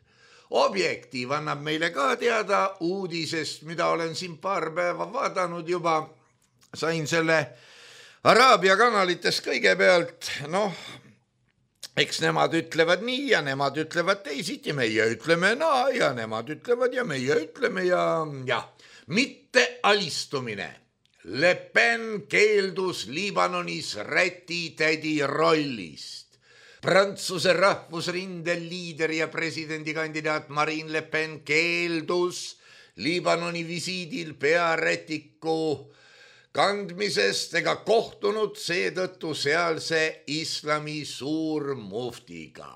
Objektiiv annab meile ka teada uudisest, mida olen siin paar päeva vaadanud juba. Sain selle Araabia kanalites kõigepealt, eks nemad ütlevad nii ja nemad ütlevad teisiti, meie ütleme naa ja nemad ütlevad ja meie ütleme ja mitte alistumine. Le Pen keeldus Liibanonis rätitädi rollist. Prantsuse rahvusrinde liider ja presidendikandidaat Marine Le Pen keeldus Liibanoni visiidil pearätiku kandmisest ega kohtunud seetõttu sealse islami suurmuftiga.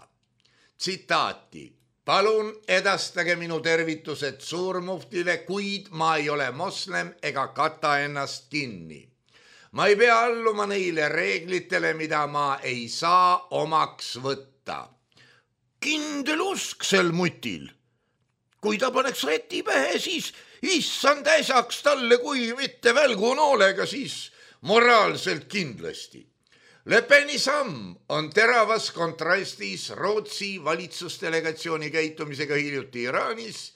Tsitaati. palun edastage minu tervitused suurmuftile, kuid ma ei ole moslem ega kata ennast kinni. Ma ei pea alluma neile reeglitele, mida ma ei saa omaks võtta. Kindel usk sel mutil. Kui ta paneks reti pähe, siis issand äsaks talle, kui mitte välgunoolega, siis moraalselt kindlasti. Le Peni samm on teravas kontrastis Rootsi valitsusdelegatsiooni käitumisega hiljuti Iraanis,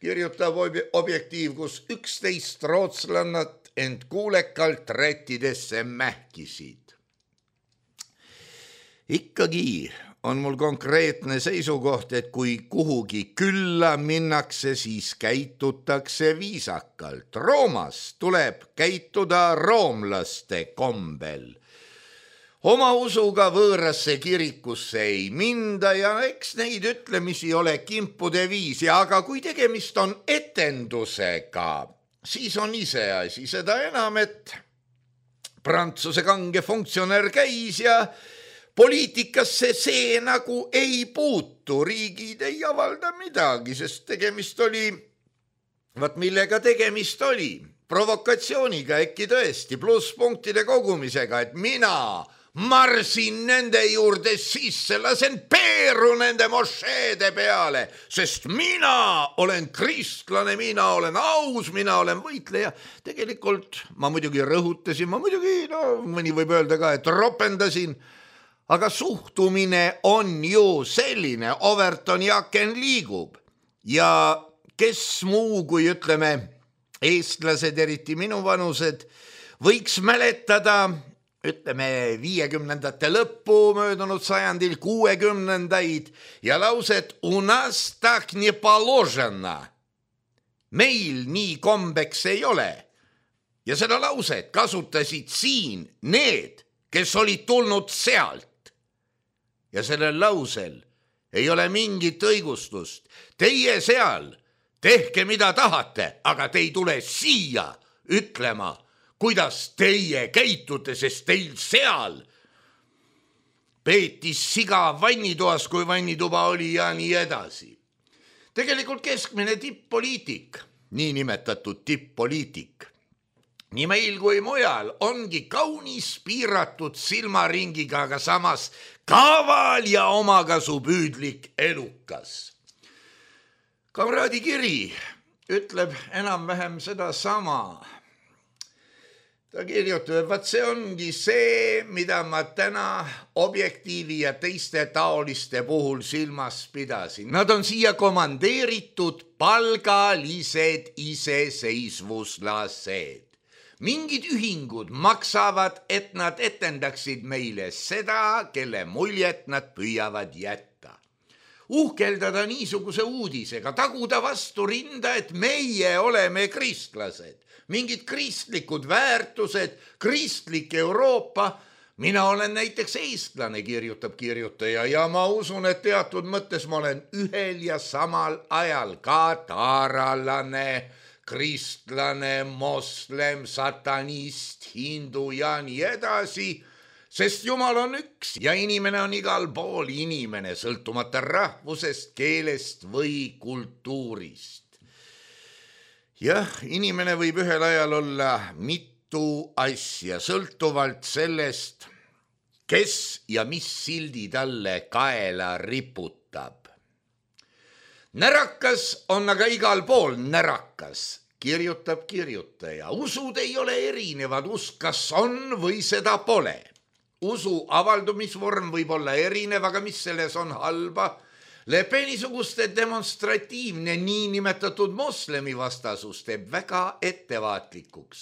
kirjutab Objektiiv, kus 11 rootslannat end kuulekalt rättidesse mähkisid. Ikkagi on mul konkreetne seisukoht, et kui kuhugi külla minnakse, siis käitutakse viisakalt. Roomas tuleb käituda roomlaste kombel. Oma usuga võõrasse kirikusse ei minda ja eks neid ütlemisi ole kimpude viisi, aga kui tegemist on etendusega, siis on iseasi, seda enam, et Prantsuse kange funktsionär käis ja poliitikasse see nagu ei puutu, riigid ei avalda midagi, sest tegemist oli, millega tegemist oli, provokatsiooniga äkki tõesti, plusspunktide kogumisega, et mina marsin nende juurde sisse, lasen peeru nende mošeede peale, sest mina olen kristlane, mina olen aus, mina olen võitleja. Tegelikult ma muidugi rõhutasin, mõni võib öelda ka, et ropendasin, aga suhtumine on ju selline, Overton ja Aken liigub ja kes muu kui ütleme eestlased, eriti minu vanused, võiks mäletada 50ndate lõppu möödunud sajandil 60ndaid ja lauset u nas tak не положено. Meil nii kombeks ei ole. Ja seda lauset kasutasid siin need, kes olid tulnud sealt. Ja sellel lausel ei ole mingit õigustust. Teie seal, tehke mida tahate, aga te ei tule siia ütlema, kuidas teie käitute, sest teil seal peetis siga vannitoas, kui vannituba oli ja nii edasi. Tegelikult keskmine tipp-poliitik, nii nimetatud tipp-poliitik, nii meil kui mujal ongi kaunis piiratud silmaringiga, aga samas kaval ja omakasupüüdlik elukas. Kamraadi kiri ütleb enam-vähem seda sama. Ta kirjutab, et see ongi see, mida ma täna Objektiivi ja teiste taoliste puhul silmas pidasin. Nad on siia komandeeritud palgalised iseseisvuslased. Mingid ühingud maksavad, et nad etendaksid meile seda, kelle muljet nad püüavad jätta. Uhkeldada niisuguse uudisega, taguda vastu rinda, et meie oleme kristlased. Mingid kristlikud väärtused, kristlik Euroopa. Mina olen näiteks eestlane, kirjutab kirjutaja, ja ma usun, et teatud mõttes ma olen ühel ja samal ajal ka taaralane, kristlane, moslem, satanist, hindu ja nii edasi, sest Jumal on üks ja inimene on igal pool inimene, sõltumata rahvusest, keelest või kultuurist. Jah, inimene võib ühel ajal olla mitu asja, sõltuvalt sellest, kes ja mis sildi talle kaela riputab. Närakas on aga igal pool närakas, kirjutab kirjutaja. Usud ei ole erinevad, usk kas on või seda pole. Usu avaldumisvorm võib olla erinev, aga mis selles on halba? Le Peni-suguste demonstratiivne niinimetatud moslemi vastasus teeb väga ettevaatlikuks,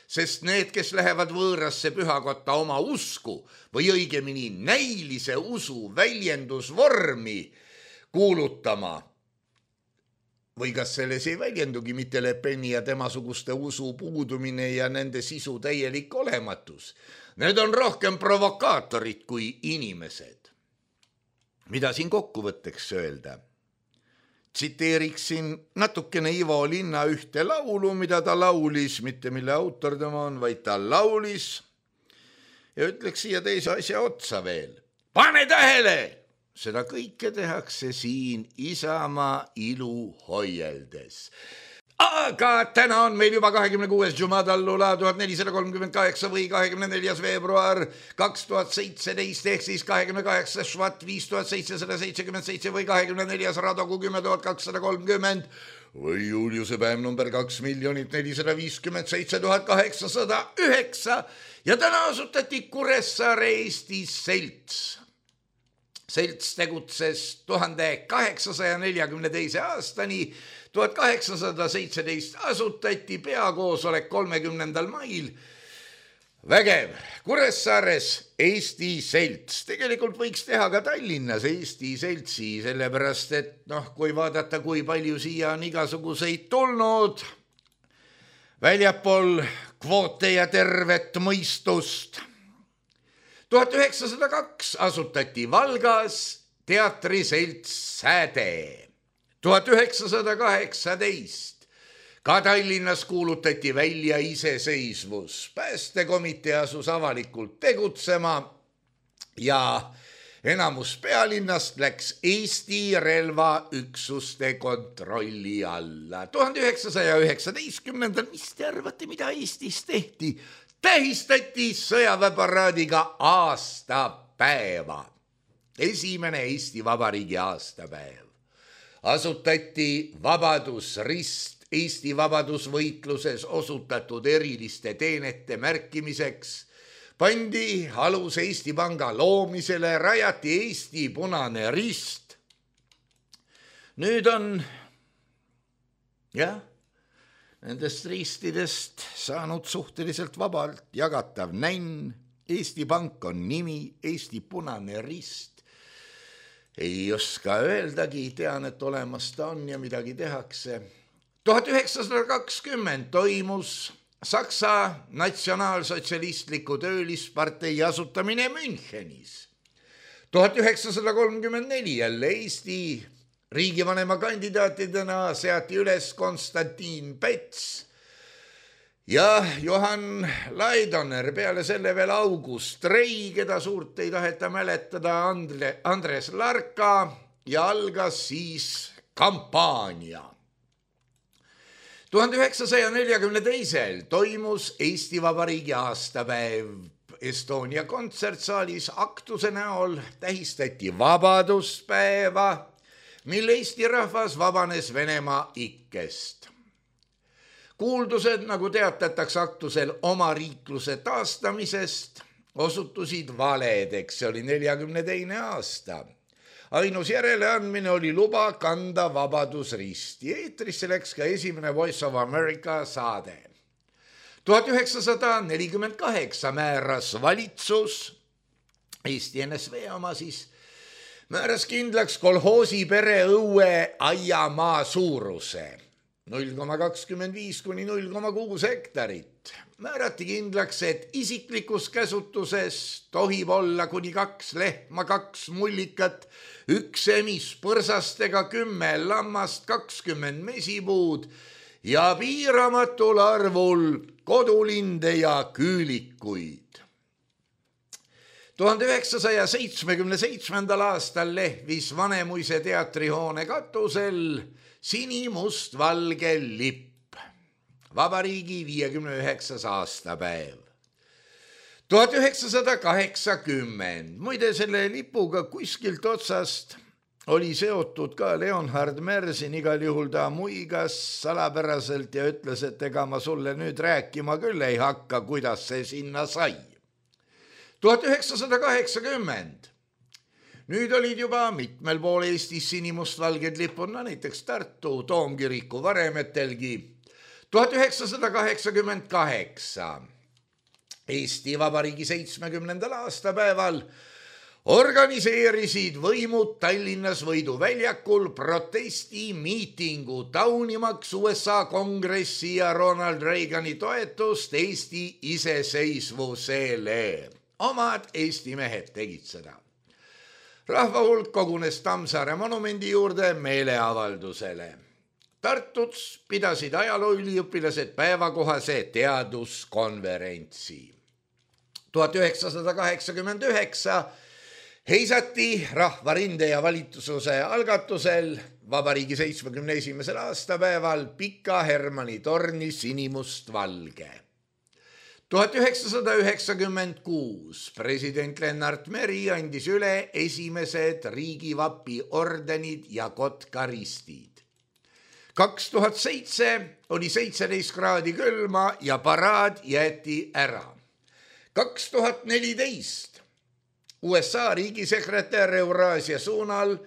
sest need, kes lähevad võõrasse pühakotta oma usku või õigemini näilise usu väljendusvormi kuulutama, või kas selles ei väljendugi mitte Le Peni ja temasuguste usu puudumine ja nende sisu täielik olematus. Need on rohkem provokaatorid kui inimesed. Mida siin kokkuvõtteks öelda? Tsiteeriksin natukene Ivo Linna ühte laulu, mida ta laulis, mitte mille autor tema on, vaid ta laulis ja ütleks siia teise asja otsa veel. Pane tähele, seda kõike tehakse siin Isamaa ilu hoieldes. Aga täna on meil juba 26. Jumadallula 1438 või 24. veebruar 2017 ehk siis 28. Švat 5777 või 24. Radogu 10230 või Juliuse päev number 2,457,809 ja täna asutati Kuressaare Eesti selts. Selts tegutses 1842. aastani, 1817 asutati peakoosolek 30. mail. Vägev, Kuressaares Eesti selts. Tegelikult võiks teha ka Tallinnas Eesti seltsi, sellepärast et kui vaadata, kui palju siia on igasuguseid tulnud, väljapool kvoote ja tervet mõistust. 1902 asutati Valgas teatriselts Säde. 1918 ka Tallinnas kuulutati välja iseseisvus. Päästekomitee asus avalikult tegutsema ja enamus pealinnast läks Eesti relvaüksuste kontrolli alla. 1919, mis te arvate, mida Eestis tehti? Tähistati sõjaväeparaadiga aastapäeva. Esimene Eesti Vabariigi aastapäev. Asutati Vabadusrist Eesti vabadusvõitluses osutatud eriliste teenete märkimiseks, pandi alus Eesti Panga loomisele, rajati Eesti Punane Rist. Nüüd on nendest ristidest saanud suhteliselt vabalt jagatav nänn. Eesti Pank on nimi, Eesti Punane Rist. Ei oska öeldagi, tean, et olemas ta on ja midagi tehakse. 1920 toimus Saksa natsionaalsotsialistliku töölispartei asutamine Münchenis. 1934 jälle Eesti riigivanema kandidaatidena seati üles Konstantin Päts ja Johan Laidoner, peale selle veel August Rei, keda suurt ei taheta mäletada, Andres Larka ja algas siis kampaania. 1942 toimus Eesti Vabariigi aastapäev. Estonia kontsertsaalis aktuse näol tähistati vabaduspäeva, mil Eesti rahvas vabanes Venemaa ikkest. Kuuldused, nagu teatatakse aktusel oma riikluse taastamisest, osutusid valedeks, see oli 42. aasta. Ainus järeleandmine oli luba kanda vabadusristi. Eetrisse läks ka esimene Voice of America saade. 1948 määras valitsus, Eesti NSV oma siis, määras kindlaks kolhoosi pereõue aiamaa suuruse 0,25 kuni 0,6 hektarit. Määrati kindlaks, et isiklikus käsutuses tohib olla kuni 2 lehma, 2 mullikat, 1 emis põrsastega, 10 lammast, 20 mesipuud ja piiramatul arvul kodulinde ja küülikuid. 1977. aastal lehvis Vanemuise teatrihoone katusel sinimustvalge lipp. Vabariigi 59. aastapäev. 1980, muide selle lipuga kuskilt otsast oli seotud ka Leonhard Mersin, igal juhul ta muigas salapäraselt ja ütles, et ega ma sulle nüüd rääkima küll ei hakka, kuidas see sinna sai. 1980. Nüüd olid juba mitmel pool Eestis sinimustvalged lipud, näiteks Tartu Toomkiriku varemetelgi. 1988 Eesti Vabariigi 70. aastapäeval organiseerisid võimud Tallinnas Võiduväljakul protestimiitingu taunimaks USA kongressi ja Ronald Reagani toetust Eesti iseseisvusele. Omad Eesti mehed tegid seda. Rahva hulk kogunes Tammsaare monumendi juurde meeleavaldusele. Tartuts pidasid ajalooüliõpilased päevakohase teaduskonverentsi. 1989 heisati Rahvarinde ja valitsususe algatusel vabariigi 71. aastapäeval Pika Hermanni torni sinimustvalge. 1996 president Lennart Meri andis üle esimesed riigivapi ordenid ja Kotka-ristid. 2007 oli 17 kraadi külma ja paraad jäeti ära. 2014 USA riigisekretär Euraasia suunal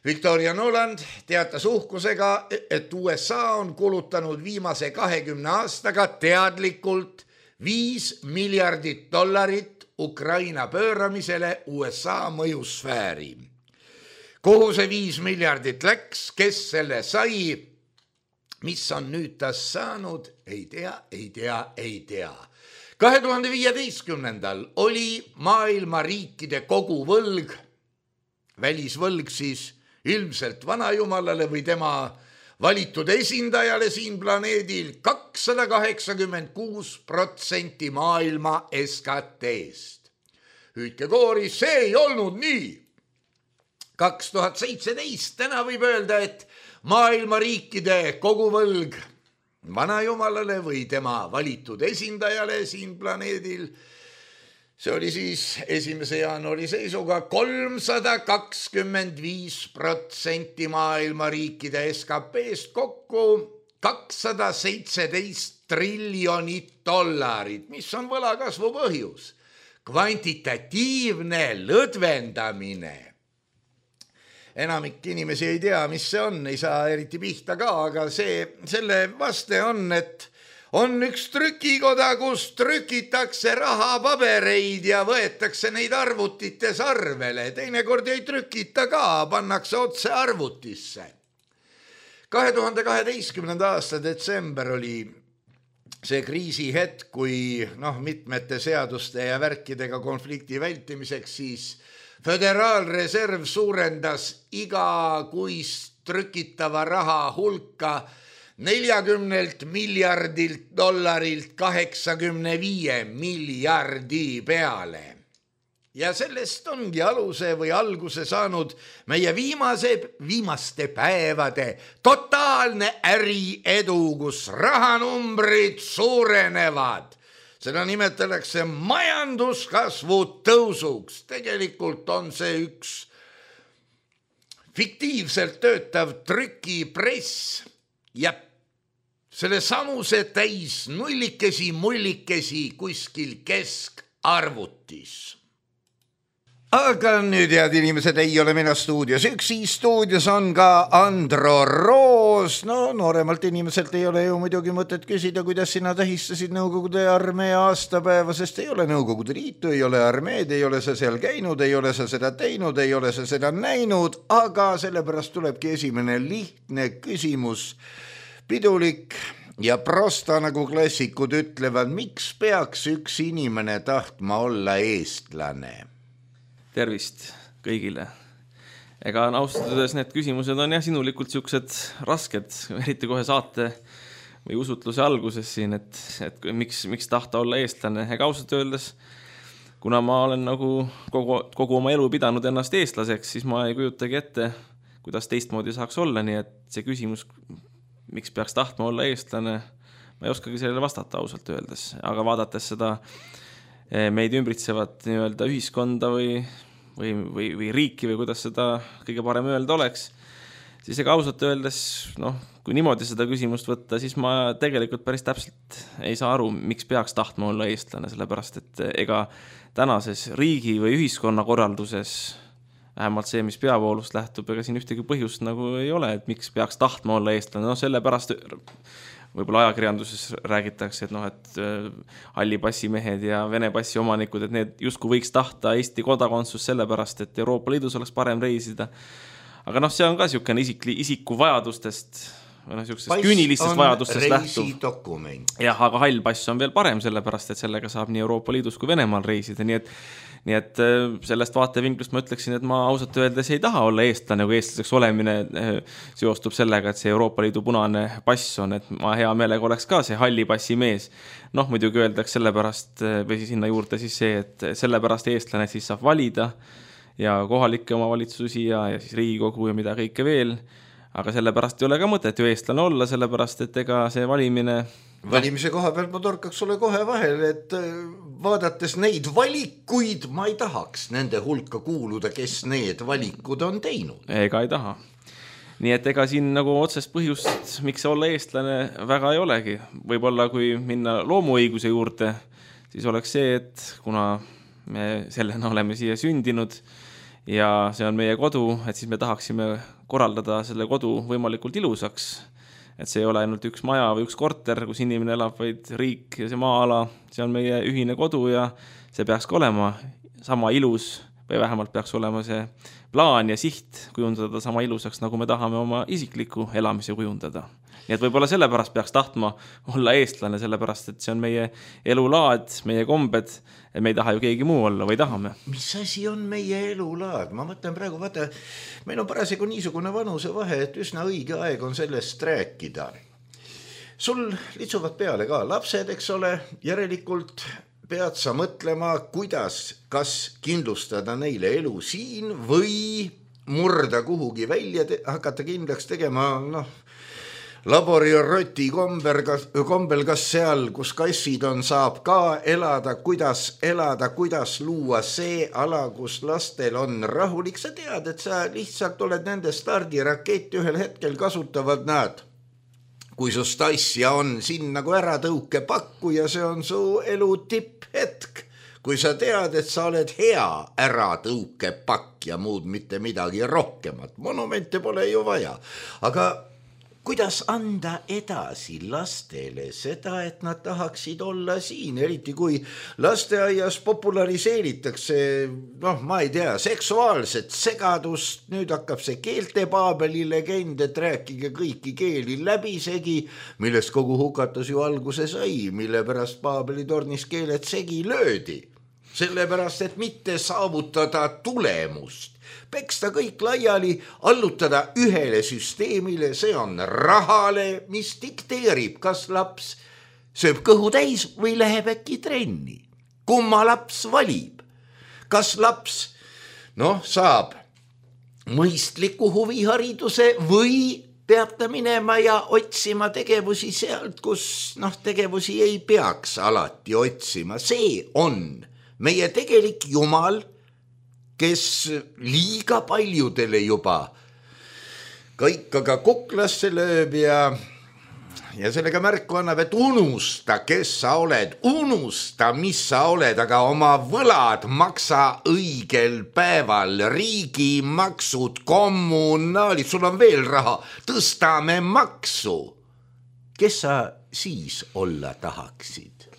Victoria Nuland teatas uhkusega, et USA on kulutanud viimase 20 aastaga teadlikult $5 miljardit Ukraina pööramisele USA mõjusfääri. Kuhu see 5 miljardit läks, kes selle sai, mis on nüüd tas saanud, ei tea. 2015. oli maailma riikide koguvõlg, välisvõlg siis ilmselt vanajumalale või tema valitud esindajale siin planeedil 286% maailma SKT-st. Hüüdke koori, see ei olnud nii. 2017 täna võib öelda, et maailma riikide koguvõlg vanajumalale või tema valitud esindajale siin planeedil, see oli siis 1. jaanuari seisuga 325% maailma riikide SKP-st, kokku $217 triljonit, mis on võlakasvu põhjus. Kvantitatiivne lõdvendamine. Enamik inimesi ei tea, mis see on, ei saa eriti pihta ka, aga selle vaste on, et on üks trükikoda, kus trükitakse rahapabereid ja võetakse neid arvutites arvele. Teinekord ei trükita ka, pannakse otse arvutisse. 2012. aasta detsember oli see kriisihetk, kui mitmete seaduste ja värkidega konflikti vältimiseks siis Föderaalreserv suurendas igakuist trükitava raha hulka $40 miljardilt 85 miljardi peale. Ja sellest ongi aluse või alguse saanud meie viimaste päevade totaalne äriedu, kus rahanumbrid suurenevad. Seda nimetatakse majanduskasvu tõusuks. Tegelikult on see üks fiktiivselt töötav trükipress ja selle samuse täis mullikesi kuskil keskarvutis. Aga nüüd, head inimesed, ei ole mina stuudios üksi, stuudios on ka Andro Roos. Nooremalt inimeselt ei ole ju muidugi mõtet küsida, kuidas sina tähistasid Nõukogude armee aastapäeva, sest ei ole Nõukogude Liitu, ei ole armeed, ei ole sa seal käinud, ei ole sa seda teinud, ei ole sa seda näinud, aga sellepärast tulebki esimene lihtne küsimus. Pidulik ja prosta, nagu klassikud ütlevad, miks peaks üks inimene tahtma olla eestlane? Tervist kõigile. Ega austades need küsimused on sinulikult siuksed rasked, eriti kohe saate või usutluse alguses siin, et miks tahta olla eestlane. Ega ausalt öeldes, kuna ma olen nagu kogu oma elu pidanud ennast eestlaseks, siis ma ei kujutagi ette, kuidas teistmoodi saaks olla, nii et see küsimus, miks peaks tahtma olla eestlane, ma ei oskagi sellele vastata ausalt öeldes. Aga vaadates seda meid ümbritsevat nii-öelda ühiskonda või riiki või kuidas seda kõige parem öelda oleks, siis ega ausalt öeldes, kui niimoodi seda küsimust võtta, siis ma tegelikult päris täpselt ei saa aru, miks peaks tahtma olla eestlane, sellepärast et ega tänases riigi või ühiskonna korralduses, vähemalt see, mis peavoolust lähtub, ega siin ühtegi põhjust nagu ei ole, et miks peaks tahtma olla eestlane, sellepärast võib-olla ajakirjanduses räägitakse, et halli passimehed ja Vene passi omanikud, et need justkui võiks tahta Eesti kodakondsus sellepärast, et Euroopa Liidus oleks parem reisida. Aga see on ka niisugune isiku vajadustest või küünilistest vajadustest lähtuv. Jah, aga hall pass on veel parem sellepärast, et sellega saab nii Euroopa Liidus kui Venemaal reisida. Nii et sellest vaatevinklust ma ütleksin, et ma ausalt öeldes ei taha olla eestlane, kui eestlaseks olemine seostub sellega, et see Euroopa Liidu punane pass on, et ma hea meelega oleks ka see halli passi mees. Muidugi öeldaks sellepärast, või sinna juurde siis see, et sellepärast eestlane siis saab valida ja kohalikke omavalitsusi ja siis Riigikogu ja mida kõike veel. Aga sellepärast ei ole ka mõtet ju eestlane olla, sellepärast et ega see valimise koha pealt ma torkaks sulle kohe vahele, et vaadates neid valikuid, ma ei tahaks nende hulka kuuluda, kes need valikud on teinud. Ega ei taha. Nii et ega siin nagu otsest põhjust, miks olla eestlane, väga ei olegi. Võib-olla kui minna loomuõiguse juurde, siis oleks see, et kuna me sellena oleme siia sündinud ja see on meie kodu, et siis me tahaksime korraldada selle kodu võimalikult ilusaks. Et see ei ole ainult üks maja või üks korter, kus inimene elab, vaid riik ja see maa-ala, see on meie ühine kodu ja see peaks ka olema sama ilus või vähemalt peaks olema see plaan ja siht kujundada sama ilusaks, nagu me tahame oma isikliku elamise kujundada. Nii et võib-olla sellepärast peaks tahtma olla eestlane, sellepärast et see on meie elulaad, meie kombed, et me ei taha ju keegi muu olla või tahame. Mis asi on meie elulaad? Ma mõtlen praegu, vaata, meil on parasjagu niisugune vanusevahe, et üsna õige aeg on sellest rääkida. Sul litsuvad peale ka lapsed, eks ole, järelikult pead sa mõtlema, kuidas, kas kindlustada neile elu siin või murda kuhugi välja, hakata kindlaks tegema, labori ja roti kombel, kas seal, kus kassid on, saab ka elada, kuidas luua see ala, kus lastel on rahulik. Sa tead, et sa lihtsalt oled nende stardiraketti ühel hetkel kasutavad nad. Kui su stassia on siin nagu äratõuke pakku ja see on su elu tipphetk. Kui sa tead, et sa oled hea äratõuke pakk ja muud mitte midagi rohkemat. Monumente pole ju vaja. Aga kuidas anda edasi lastele seda, et nad tahaksid olla siin, eriti kui lasteaias populariseeritakse, ma ei tea, seksuaalset segadust, nüüd hakkab see keelte Paabeli legend, et rääkige kõiki keeli läbisegi, millest kogu hukatus ju alguse sai, mille pärast Paabeli tornis keeled segi löödi. Sellepärast, et mitte saavutada tulemust. Peksta kõik laiali, allutada ühele süsteemile, see on rahale, mis dikteerib, kas laps sööb kõhu täis või läheb äkki trenni. Kumma laps valib? Kas laps saab mõistliku huvihariduse või peab ta minema ja otsima tegevusi sealt, kus tegevusi ei peaks alati otsima. See on meie tegelik Jumal, kes liiga paljudele juba kõik aga kuklasse lööb ja sellega märku annab, et unusta, kes sa oled, unusta, mis sa oled, aga oma võlad maksa õigel päeval, riigimaksud, kommunaalid, sul on veel raha, tõstame maksu. Kes sa siis olla tahaksid?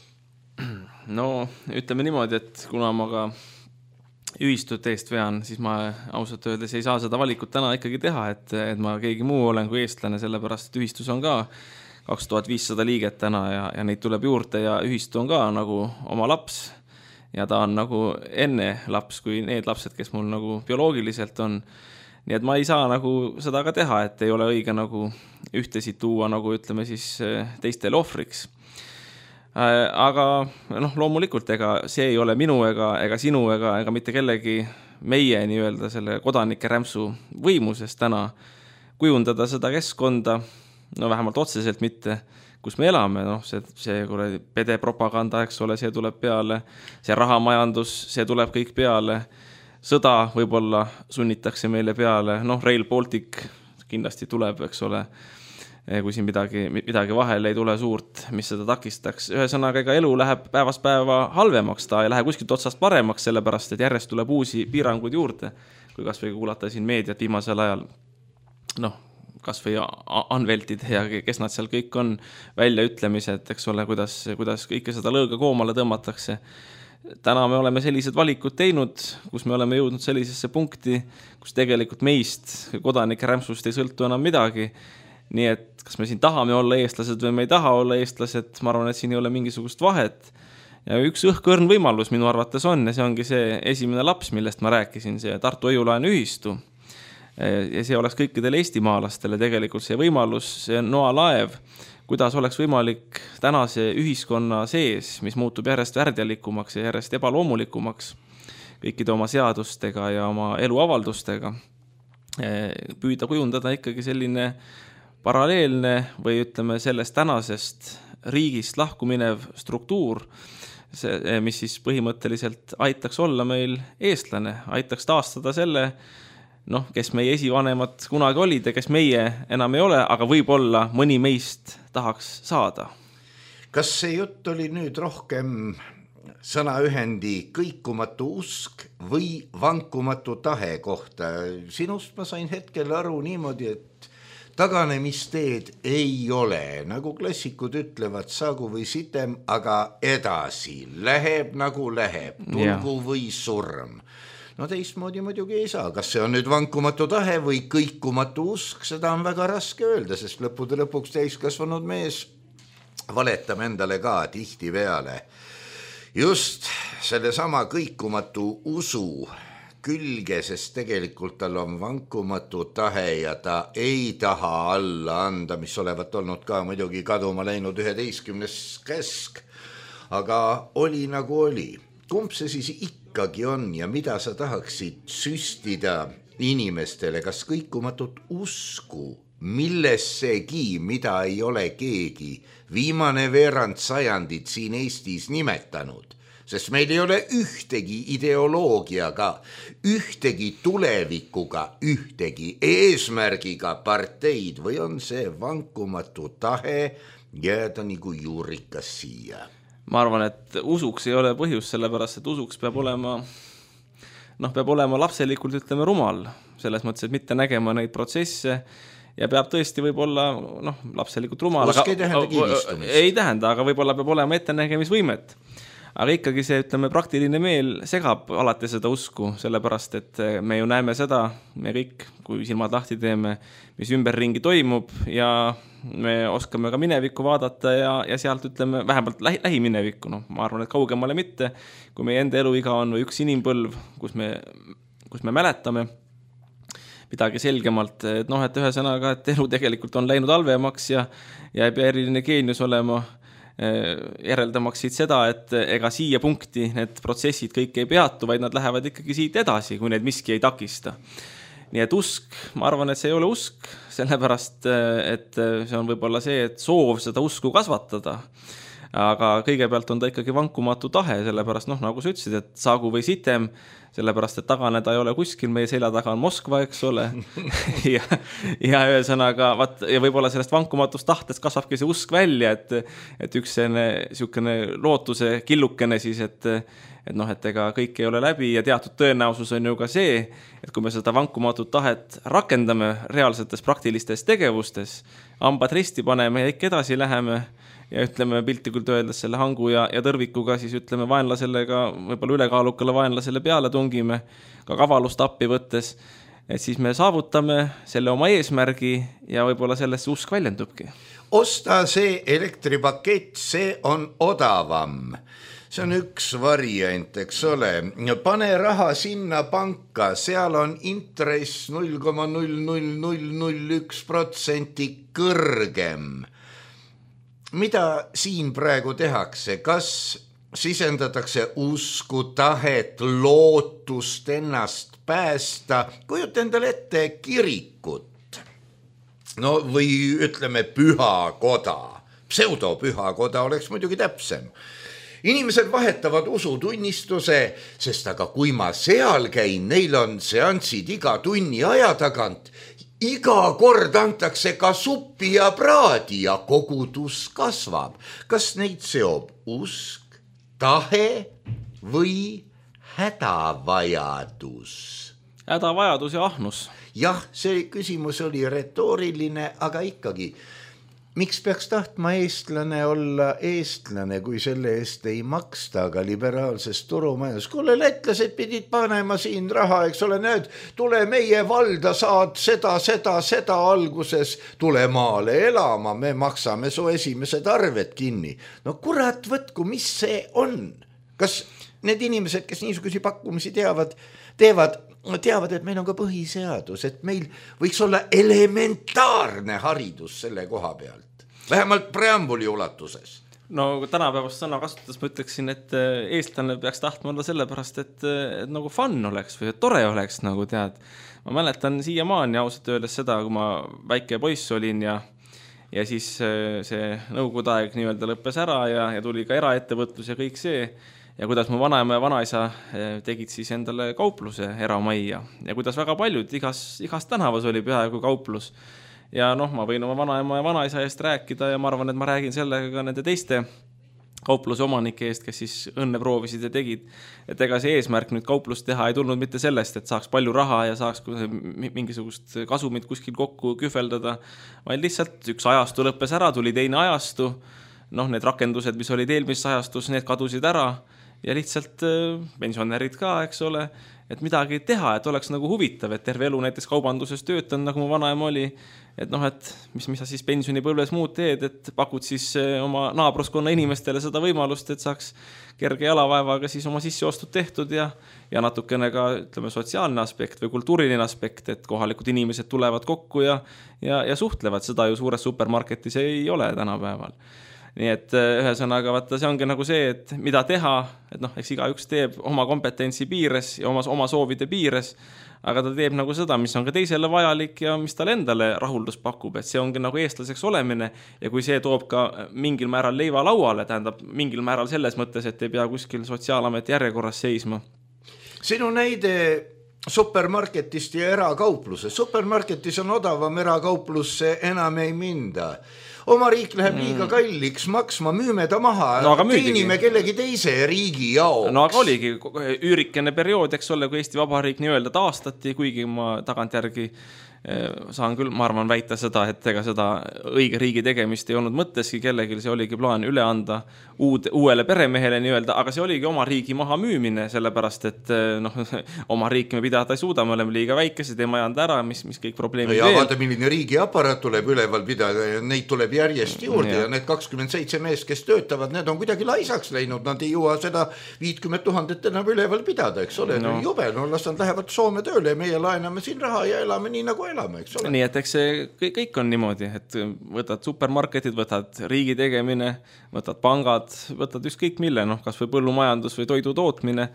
Ütleme niimoodi, et kuna ma ka ühistut eest vean, siis ma ausalt öeldes ei saa seda valikut täna ikkagi teha, et ma keegi muu olen kui eestlane, sellepärast et ühistus on ka 2500 liiget täna ja neid tuleb juurde ja ühistu on ka nagu oma laps ja ta on nagu enne laps kui need lapsed, kes mul nagu bioloogiliselt on. Nii et ma ei saa nagu seda ka teha, et ei ole õige nagu ühtesid tuua nagu ütleme siis teistele ohvriks. Aga loomulikult ega see ei ole minu ega sinu ega mitte kellegi meie nii-öelda selle kodanike rämpsu võimuses täna kujundada seda keskkonda, vähemalt otseselt mitte, kus me elame, see pede propaganda, eks ole, see tuleb peale, see rahamajandus, see tuleb kõik peale, sõda võib-olla sunnitakse meile peale, Rail Baltic kindlasti tuleb, eks ole, kui siin midagi vahele ei tule suurt, mis seda takistaks. Ühesõnaga, ega elu läheb päevast päeva halvemaks, ta ei lähe kuskilt otsast paremaks, sellepärast, et järjest tuleb uusi piiranguid juurde. Kui kas või kuulata siin meediat viimasel ajal, kas või Anveltid ja kes nad seal kõik on, väljaütlemised, eks ole, kuidas kõike seda lõõga koomale tõmmatakse. Täna me oleme sellised valikud teinud, kus me oleme jõudnud sellisesse punkti, kus tegelikult meist kodanike rämpsust ei sõltu enam midagi. Nii et kas me siin tahame olla eestlased või me ei taha olla eestlased, ma arvan, et siin ei ole mingisugust vahet. Ja üks õhkõrn võimalus minu arvates on ja see ongi see esimene laps, millest ma rääkisin, see Tartu Õjulaenu ühistu. Ja see oleks kõikidele eestimaalastele tegelikult see võimalus, see noalaev, kuidas oleks võimalik tänase ühiskonna sees, mis muutub järjest värdjalikumaks ja järjest ebaloomulikumaks, kõikide oma seadustega ja oma eluavaldustega püüda kujundada ikkagi selline paralleelne või ütleme sellest tänasest riigist lahku minev struktuur, mis siis põhimõtteliselt aitaks olla meil eestlane, aitaks taastada selle, kes meie esivanemad kunagi olid ja kes meie enam ei ole, aga võib-olla mõni meist tahaks saada. Kas see jutt oli nüüd rohkem sõnaühendi kõikumatu usk või vankumatu tahe kohta? Sinust ma sain hetkel aru niimoodi, et taganemisteed ei ole, nagu klassikud ütlevad, saagu või sitem, aga edasi läheb nagu läheb, tulgu või surm. No teistmoodi muidugi ei saa, kas see on nüüd vankumatu tahe või kõikumatu usk, seda on väga raske öelda, sest lõppude lõpuks täiskasvanud mees valetab endale ka tihti peale. Just selle sama kõikumatu usu külge, sest tegelikult tal on vankumatu tahe ja ta ei taha alla anda, mis olevat olnud ka muidugi kaduma läinud 11. käsk. Aga oli nagu oli. Kumb see siis ikkagi on ja mida sa tahaksid süstida inimestele, kas kõikumatut usku, millessegi, mida ei ole keegi viimane veerand sajandit siin Eestis nimetanud, sest meil ei ole ühtegi ideoloogiaga, ühtegi tulevikuga, ühtegi eesmärgiga parteid või on see vankumatu tahe jääda nagu juurikas siia? Ma arvan, et usuks ei ole põhjus, sellepärast, et usuks peab olema lapselikult, ütleme, rumal, selles mõttes, et mitte nägema neid protsesse ja peab tõesti võib-olla lapselikult rumal. Usk ei tähenda kivistumist. Ei tähenda, aga võib-olla peab olema ettenägemisvõimet. Aga ikkagi see, ütleme, praktiline meel segab alati seda usku, sellepärast, et me ju näeme seda, me kõik, kui silmad lahti teeme, mis ümberringi toimub ja me oskame ka minevikku vaadata ja sealt, ütleme, vähemalt lähiminevikku, ma arvan, et kaugemale mitte, kui meie enda eluiga on või üks inimpõlv, kus me mäletame midagi selgemalt, et ühesõnaga, et elu tegelikult on läinud halvemaks ja ei pea eriline geenius olema järeldamaks siit seda, et ega siia punkti need protsessid kõik ei peatu, vaid nad lähevad ikkagi siit edasi, kui need miski ei takista. Nii et usk, ma arvan, et see ei ole usk, sellepärast, et see on võib-olla see, et soov seda usku kasvatada, aga kõigepealt on ta ikkagi vankumatu tahe, sellepärast, nagu sa ütlesid, et saagu või sitem, sellepärast, et taganeda ei ole kuskil, meie selja taga on Moskva, eks ole, ja ühesõnaga, ja võib-olla sellest vankumatust tahtest kasvabki see usk välja, et üks selline lootuse killukene siis, et ega kõik ei ole läbi ja teatud tõenäosus on ju ka see, et kui me seda vankumatut tahet rakendame reaalsetes praktilistes tegevustes, hambad risti paneme ja ikka edasi läheme ja ütleme piltlikult öeldes selle hangu ja tõrvikuga, siis ütleme vaenlasele ka võib-olla ülekaalukale vaenlasele peale tungime, ka kavalust appi võttes, et siis me saavutame selle oma eesmärgi ja võib-olla sellest usk väljendubki. Osta see elektripakett, see on odavam. See on üks variant, eks ole. Pane raha sinna panka, seal on intress 0,00001% kõrgem. Mida siin praegu tehakse? Kas sisendatakse usku, tahet, lootust ennast päästa? Kujuta endale ette kirikut. Või ütleme pühakoda. Pseudopühakoda oleks muidugi täpsem. Inimesed vahetavad usutunnistuse, sest aga kui ma seal käin, neil on seansid iga tunni aja tagant. Iga kord antakse ka suppi ja praadi ja kogudus kasvab. Kas neid seob usk, tahe või hädavajadus? Hädavajadus ja ahnus. Jah, see küsimus oli retooriline, aga ikkagi. Miks peaks tahtma eestlane olla eestlane, kui selle eest ei maksta ka liberaalses turumajandus? Kuule, lätlased pidid panema siin raha, eks ole, näed, tule meie valda, saad seda alguses, tule maale elama, me maksame su esimesed arved kinni. No kurat, võtku, mis see on? Kas need inimesed, kes niisugusi pakkumisi teevad, et meil on ka põhiseadus, et meil võiks olla elementaarne haridus selle koha pealt, vähemalt preambuli ulatuses. No tänapäevast sõna kasutades ma ütleksin, et eestlane peaks tahtma olla sellepärast, et nagu fun oleks või et tore oleks, nagu tead. Ma mäletan siiamaani ausalt öeldes seda, kui ma väike poiss olin ja siis see nõukogude aeg nii-öelda lõppes ära ja tuli ka eraettevõtlus ja kõik see. Ja kuidas mu vanaema ja vanaisa tegid siis endale kaupluse eramajja ja kuidas väga paljud, igas tänavas oli peaaegu kauplus. Ja ma võin oma vanaema ja vanaisa eest rääkida ja ma arvan, et ma räägin sellega ka nende teiste kaupluse omanike eest, kes siis õnne proovisid ja tegid. Et ega see eesmärk nüüd kauplust teha ei tulnud mitte sellest, et saaks palju raha ja saaks mingisugust kasumit kuskil kokku kühveldada, vaid lihtsalt üks ajastu lõppes ära, tuli teine ajastu, need rakendused, mis olid eelmises ajastus, need kadusid ära ja lihtsalt pensionärid ka, eks ole, et midagi teha, et oleks nagu huvitav, et terve elu näiteks kaubanduses töötan, nagu mu vanaema oli, et mis sa siis pensionipõlves muud teed, et pakud siis oma naabruskonna inimestele seda võimalust, et saaks kerge jalavaevaga siis oma sisseostud tehtud ja natukene ka, ütleme, sotsiaalne aspekt või kultuuriline aspekt, et kohalikud inimesed tulevad kokku ja suhtlevad, seda ju suures supermarketis ei ole tänapäeval. Nii et ühesõnaga, vaata, see ongi nagu see, et mida teha, et eks igaüks teeb oma kompetentsi piires ja oma soovide piires, aga ta teeb nagu seda, mis on ka teisele vajalik ja mis tal endale rahuldus pakub, et see ongi nagu eestlaseks olemine ja kui see toob ka mingil määral leiva lauale, tähendab mingil määral selles mõttes, et ei pea kuskil sotsiaalameti järjekorras seisma. Sinu näide supermarketist ja erakaupluses. Supermarketis on odavam, erakauplus enam ei minda. Oma riik läheb liiga kalliks maksma, müüme ta maha, teenime kellegi teise riigi jaoks. No aga oligi üürikene periood, eks ole, kui Eesti Vabariik nii-öelda taastati, kuigi ma tagantjärgi saan küll, ma arvan, väita seda, et ega seda õige riigi tegemist ei olnud mõtteski kellelgi, see oligi plaan üle anda uuele peremehele nii-öelda, aga see oligi oma riigi maha müümine, sellepärast, et oma riiki me pidada ei suuda, me oleme liiga väikesed, ei majanda ära, mis kõik probleemid ja vaata, milline riigi aparaat tuleb üleval pidada ja neid tuleb järjest juurde ja need 27 meest, kes töötavad, need on kuidagi laisaks läinud, nad ei jõua seda 50 000 enam üleval pidada, eks ole, jube, las nad lähevad Soome tööle ja meie laename siin raha ja elame nii nagu elame, eks ole. Nii, et eks see kõik on niimoodi, et võtad supermarketid, võtad riigi tegemine, võtad pangad, võtad ükskõik mille, kas või põllumajandus või toidu tootmine,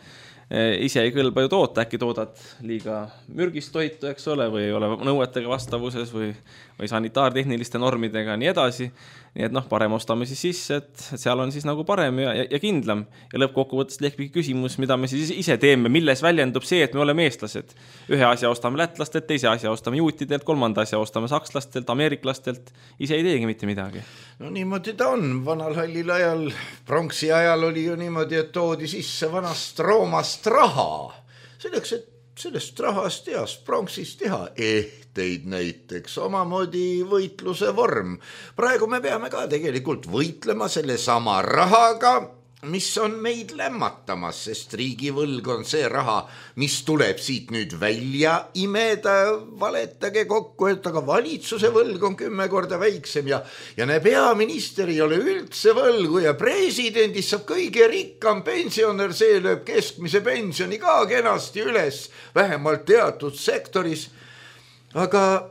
ise ei kõlba ju toota, äkki toodad liiga mürgist toitu, eks ole, või ei ole nõuetega vastavuses või sanitaartehniliste normidega nii edasi. Nii et parem ostame siis sisse, et seal on siis nagu parem ja kindlam. Ja lõppkokkuvõttes lehkbki küsimus, mida me siis ise teeme, milles väljendub see, et me oleme eestlased. Ühe asja ostame lätlastelt, teise asja ostame juutidelt, kolmanda asja ostame sakslastelt, ameeriklastelt. Ise ei teegi mitte midagi. No niimoodi ta on. Vanal hallil ajal, pronksi ajal oli ju niimoodi, et toodi sisse vanast Roomast raha. Selleks, et sellest rahast ja pronksist teha ehteid näiteks, omamoodi võitluse vorm. Praegu me peame ka tegelikult võitlema selle sama rahaga, mis on meid lämmatamas, sest riigivõlg on see raha, mis tuleb siit nüüd välja imeda, valetage kokku, et aga valitsuse võlg on 10 korda väiksem ja peaminister ei ole üldse võlgu ja presidendist saab kõige rikkam pensionär, see lööb keskmise pensioni ka kenasti üles, vähemalt teatud sektoris, aga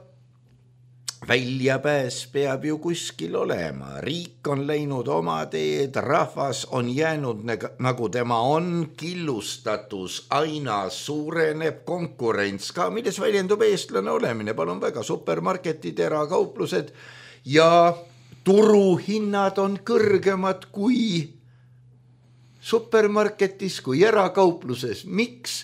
väljapääs peab ju kuskil olema. Riik on läinud oma teed, rahvas on jäänud nagu tema on, killustatus aina suureneb, konkurents ka, milles väljendub eestlane olemine, palun väga, supermarketid, erakauplused ja turuhinnad on kõrgemad kui supermarketis, kui erakaupluses. Miks?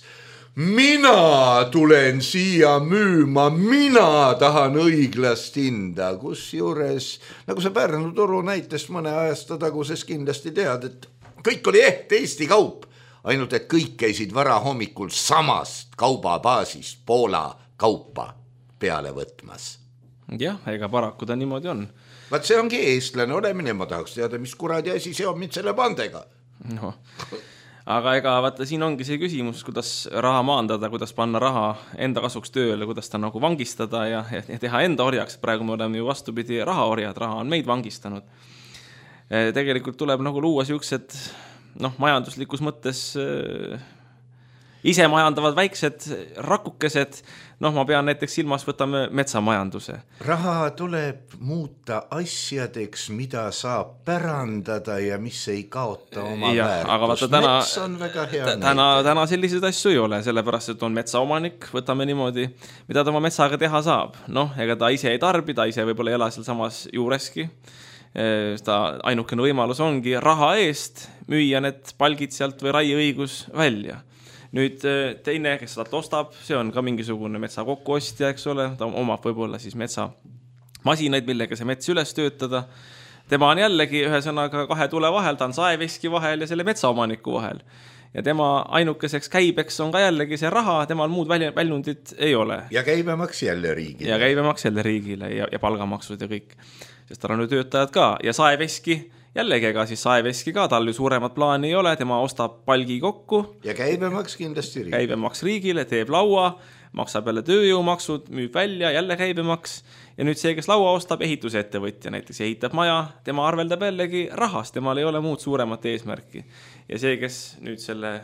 Mina tulen siia müüma, mina tahan õiglast hinda, kus juures, nagu sa Pärnu turu näitest mõne ajasta taguses kindlasti tead, et kõik oli Eesti kaup, ainult et kõik käisid varahommikul samast kaubabaasist Poola kaupa peale võtmas. Jah, ega paraku ta niimoodi on. Vaat see ongi eestlane olemine, ma tahaks teada, mis kuradi asi seob mind selle pandega. Aga ega vaata, siin ongi see küsimus, kuidas raha maandada, kuidas panna raha enda kasuks tööle, kuidas ta nagu vangistada ja teha enda orjaks. Praegu me oleme ju vastupidi rahaorjad, raha on meid vangistanud. Tegelikult tuleb nagu luua siuksed majanduslikus mõttes ise majandavad väiksed rakukesed, ma pean näiteks silmas, võtame metsamajanduse. Raha tuleb muuta asjadeks, mida saab pärandada ja mis ei kaota oma väärtust. Aga vaata, mets on väga hea täna selliseid asju ei ole, sellepärast, et on metsaomanik, võtame niimoodi, mida ta oma metsaga teha saab. Ega ta ise ei tarbi, ta ise võib-olla ei ela seal samas juureski. Ta ainukene võimalus ongi raha eest müüa need palgid sealt või raieõigus välja. Nüüd teine, kes seda ostab, see on ka mingisugune metsa kokkuostja, eks ole, ta omab võib-olla siis metsamasinaid, millega see mets üles töötada. Tema on jällegi ühesõnaga kahe tule vahel, ta on saeveski vahel ja selle metsaomaniku vahel. Ja tema ainukeseks käibeks on ka jällegi see raha, temal muud väljundit ei ole. Ja käibemaks jälle riigile. Ja käibemaks jälle riigile ja palgamaksud ja kõik. Sest tal on ju töötajad ka ja saeveski jällegi, ega siis saeveski ka, tal ju suuremat plaani ei ole, tema ostab palgi kokku. Ja käibemaks kindlasti riigile. Käibemaks riigile, teeb laua, maksab jälle tööjõumaksud, müüb välja, jälle käibemaks. Ja nüüd see, kes laua ostab, ehitusettevõtja näiteks ehitab maja, tema arveldab jällegi rahast, temal ei ole muud suuremat eesmärki. Ja see, kes nüüd selle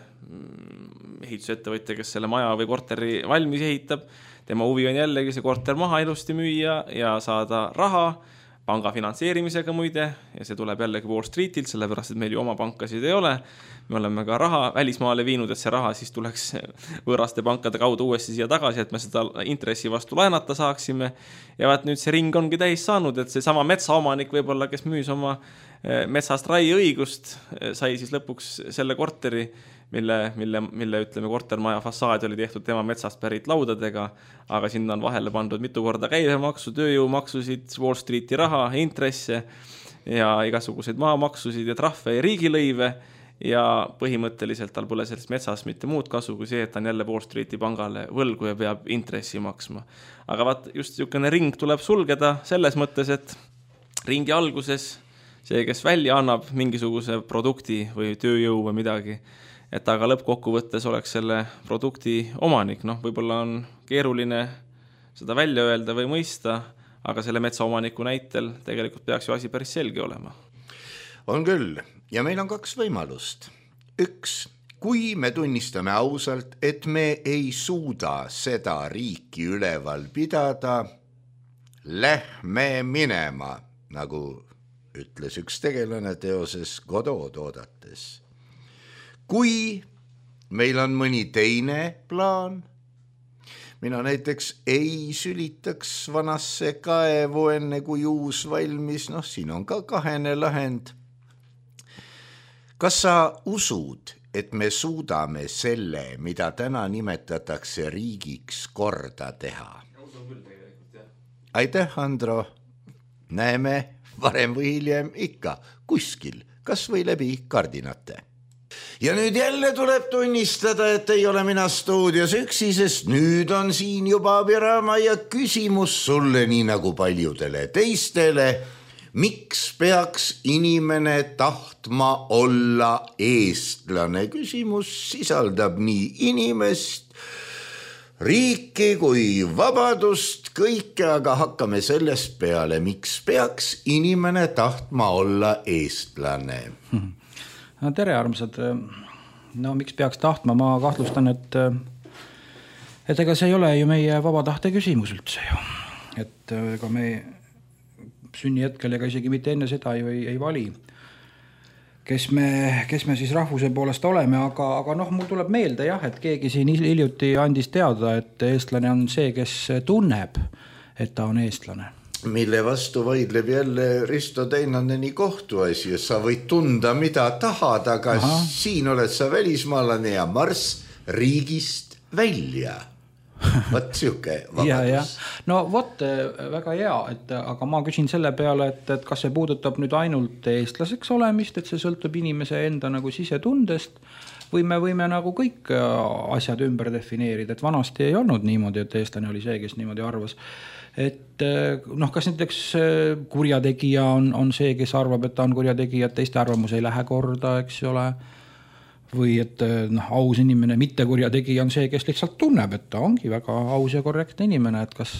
ehitusettevõtja, kes selle maja või korteri valmis ehitab, tema huvi on jällegi see korter maha ilusti müüa ja saada raha, panga finantseerimisega muide, ja see tuleb jällegi Wall Streetilt, sellepärast, et meil ju oma pankasid ei ole. Me oleme ka raha välismaale viinud, et see raha siis tuleks võõraste pankade kaudu uuesti siia tagasi, et me seda intressi vastu laenata saaksime. Ja vaat nüüd see ring ongi täis saanud, et see sama metsaomanik võib-olla, kes müüs oma metsast raieõigust, sai siis lõpuks selle korteri, mille ütleme, kortermaja fassaad oli tehtud tema metsast pärit laudadega, aga sinna on vahele pandud mitu korda käibemaksu, tööjõumaksusid, Wall Streeti raha, intresse ja igasuguseid maamaksusid ja trahve ja riigilõive ja põhimõtteliselt tal pole sellest metsast mitte muud kasu kui see, et ta on jälle Wall Streeti pangale võlgu ja peab intressi maksma. Aga vaat just niisugune ring tuleb sulgeda selles mõttes, et ringi alguses see, kes välja annab mingisuguse produkti või tööjõu või midagi, et aga lõppkokkuvõttes oleks selle produkti omanik. Võib-olla on keeruline seda välja öelda või mõista, aga selle metsaomaniku näitel tegelikult peaks ju asi päris selge olema. On küll, ja meil on kaks võimalust. Üks, kui me tunnistame ausalt, et me ei suuda seda riiki üleval pidada, lähme minema, nagu ütles üks tegelane teoses Godot oodates. Kui meil on mõni teine plaan, mina näiteks ei sülitaks vanasse kaevu enne kui uus valmis, siin on ka kahene lahend. Kas sa usud, et me suudame selle, mida täna nimetatakse riigiks, korda teha? Aitäh, Andro. Näeme varem või hiljem ikka kuskil, kas või läbi kardinate. Ja nüüd jälle tuleb tunnistada, et ei ole mina stuudios üksi, sest nüüd on siin juba Abirama ja küsimus sulle nii nagu paljudele teistele. Miks peaks inimene tahtma olla eestlane? Küsimus sisaldab nii inimest, riiki kui vabadust, kõike, aga hakkame sellest peale. Miks peaks inimene tahtma olla eestlane? Tere, armsad. Miks peaks tahtma? Ma kahtlustan, et ega see ei ole ju meie vaba tahte küsimus üldse ju. Et ega me sünni hetkel ega isegi mitte enne seda ju ei vali, kes me siis rahvuse poolest oleme, aga mul tuleb meelde jah, et keegi siin hiljuti andis teada, et eestlane on see, kes tunneb, et ta on eestlane. Mille vastu vaidleb jälle Risto Teinandeni kohtuasi, sa võid tunda mida tahad, aga siin oled sa välismaalane ja marss riigist välja. Võt siuke vabadus. Vot, väga hea, aga ma küsin selle peale, et kas see puudutab nüüd ainult eestlaseks olemist, et see sõltub inimese enda nagu sisetundest, või me võime nagu kõik asjad ümber defineerida, et vanasti ei olnud niimoodi, et eestlane oli see, kes niimoodi arvas. Et kas näiteks kurjategija on see, kes arvab, et ta on kurjategija, et teiste arvamus ei lähe korda, eks ole, või et aus inimene, mitte kurjategija on see, kes lihtsalt tunneb, et ta ongi väga aus ja korrektne inimene, et kas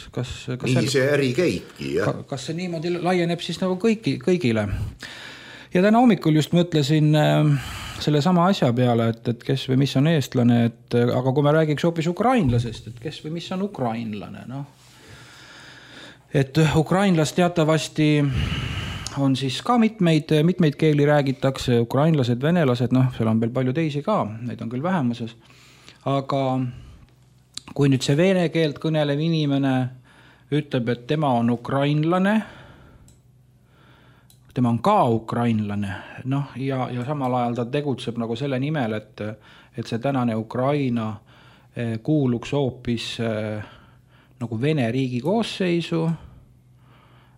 nii see äri käibki, jah? Kas see niimoodi laieneb siis nagu kõigile? Ja täna hommikul just mõtlesin selle sama asja peale, et kes või mis on eestlane, et aga kui me räägiks hoopis ukrainlasest, et kes või mis on ukrainlane, noh. Et ukrainlast teatavasti on siis ka mitmeid keeli räägitakse, ukrainlased, venelased, noh, seal on veel palju teisi ka, neid on küll vähemuses. Aga kui nüüd see vene keelt kõnelev inimene ütleb, et tema on ukrainlane, tema on ka ukrainlane, noh, ja samal ajal ta tegutseb nagu selle nimel, et see tänane Ukraina kuuluks hoopis nagu Vene riigi koosseisu,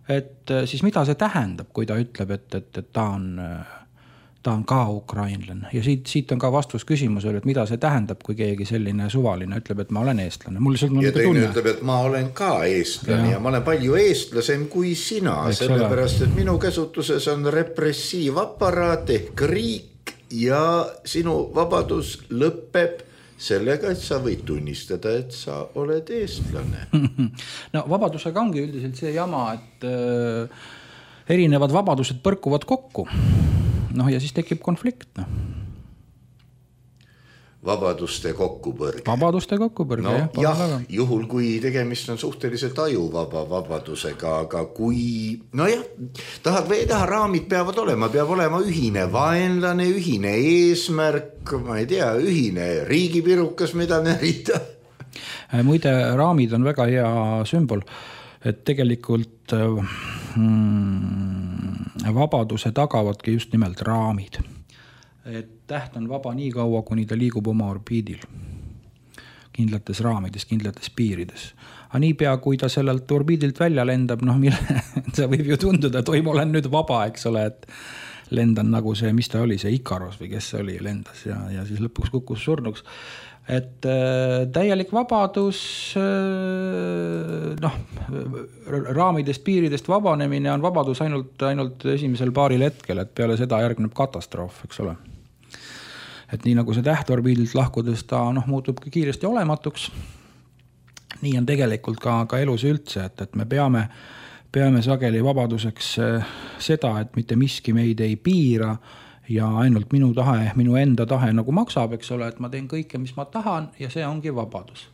et siis mida see tähendab, kui ta ütleb, et ta on ka ukrainlane. Ja siit on ka vastus küsimusele, et mida see tähendab, kui keegi selline suvaline ütleb, et ma olen eestlane. Ja teine ütleb, et ma olen ka eestlane ja ma olen palju eestlasem kui sina, sellepärast, et minu käsutuses on repressiivaparaat ehk riik ja sinu vabadus lõpeb sellega, et sa võid tunnistada, et sa oled eestlane. No vabadusega ongi üldiselt see jama, et erinevad vabadused põrkuvad kokku. Noh, ja siis tekib konflikt. No. Vabaduste kokkupõrge. No, jah, juhul kui tegemist on suhteliselt ajuvaba vabadusega, aga kui, no jah, tahad või ei taha, raamid peavad olema ühine vaenlane, ühine eesmärk, ma ei tea, ühine riigipirukas, mida närida. Muide, raamid on väga hea sümbol, et tegelikult vabaduse tagavadki just nimelt raamid. Et täht on vaba nii kaua, kuni ta liigub oma orbiidil. Kindlates raamides, kindlates piirides. Aga niipea, kui ta sellelt orbiidilt välja lendab, noh, see võib ju tunduda, et ma olen nüüd vaba, eks ole, et lendan nagu see, mis ta oli, see Ikaros või kes see oli, lendas ja siis lõpuks kukkus surnuks. Et täielik vabadus, noh, raamidest, piiridest vabanemine on vabadus ainult esimesel paaril hetkel, et peale seda järgneb katastroof, eks ole. Et nii nagu see tähtorbiidilt lahkudes ta muutubki kiiresti olematuks. Nii on tegelikult ka elus üldse, et me peame sageli vabaduseks seda, et mitte miski meid ei piira ja ainult minu enda tahe nagu maksab, eks ole, et ma teen kõike, mis ma tahan ja see ongi vabadus.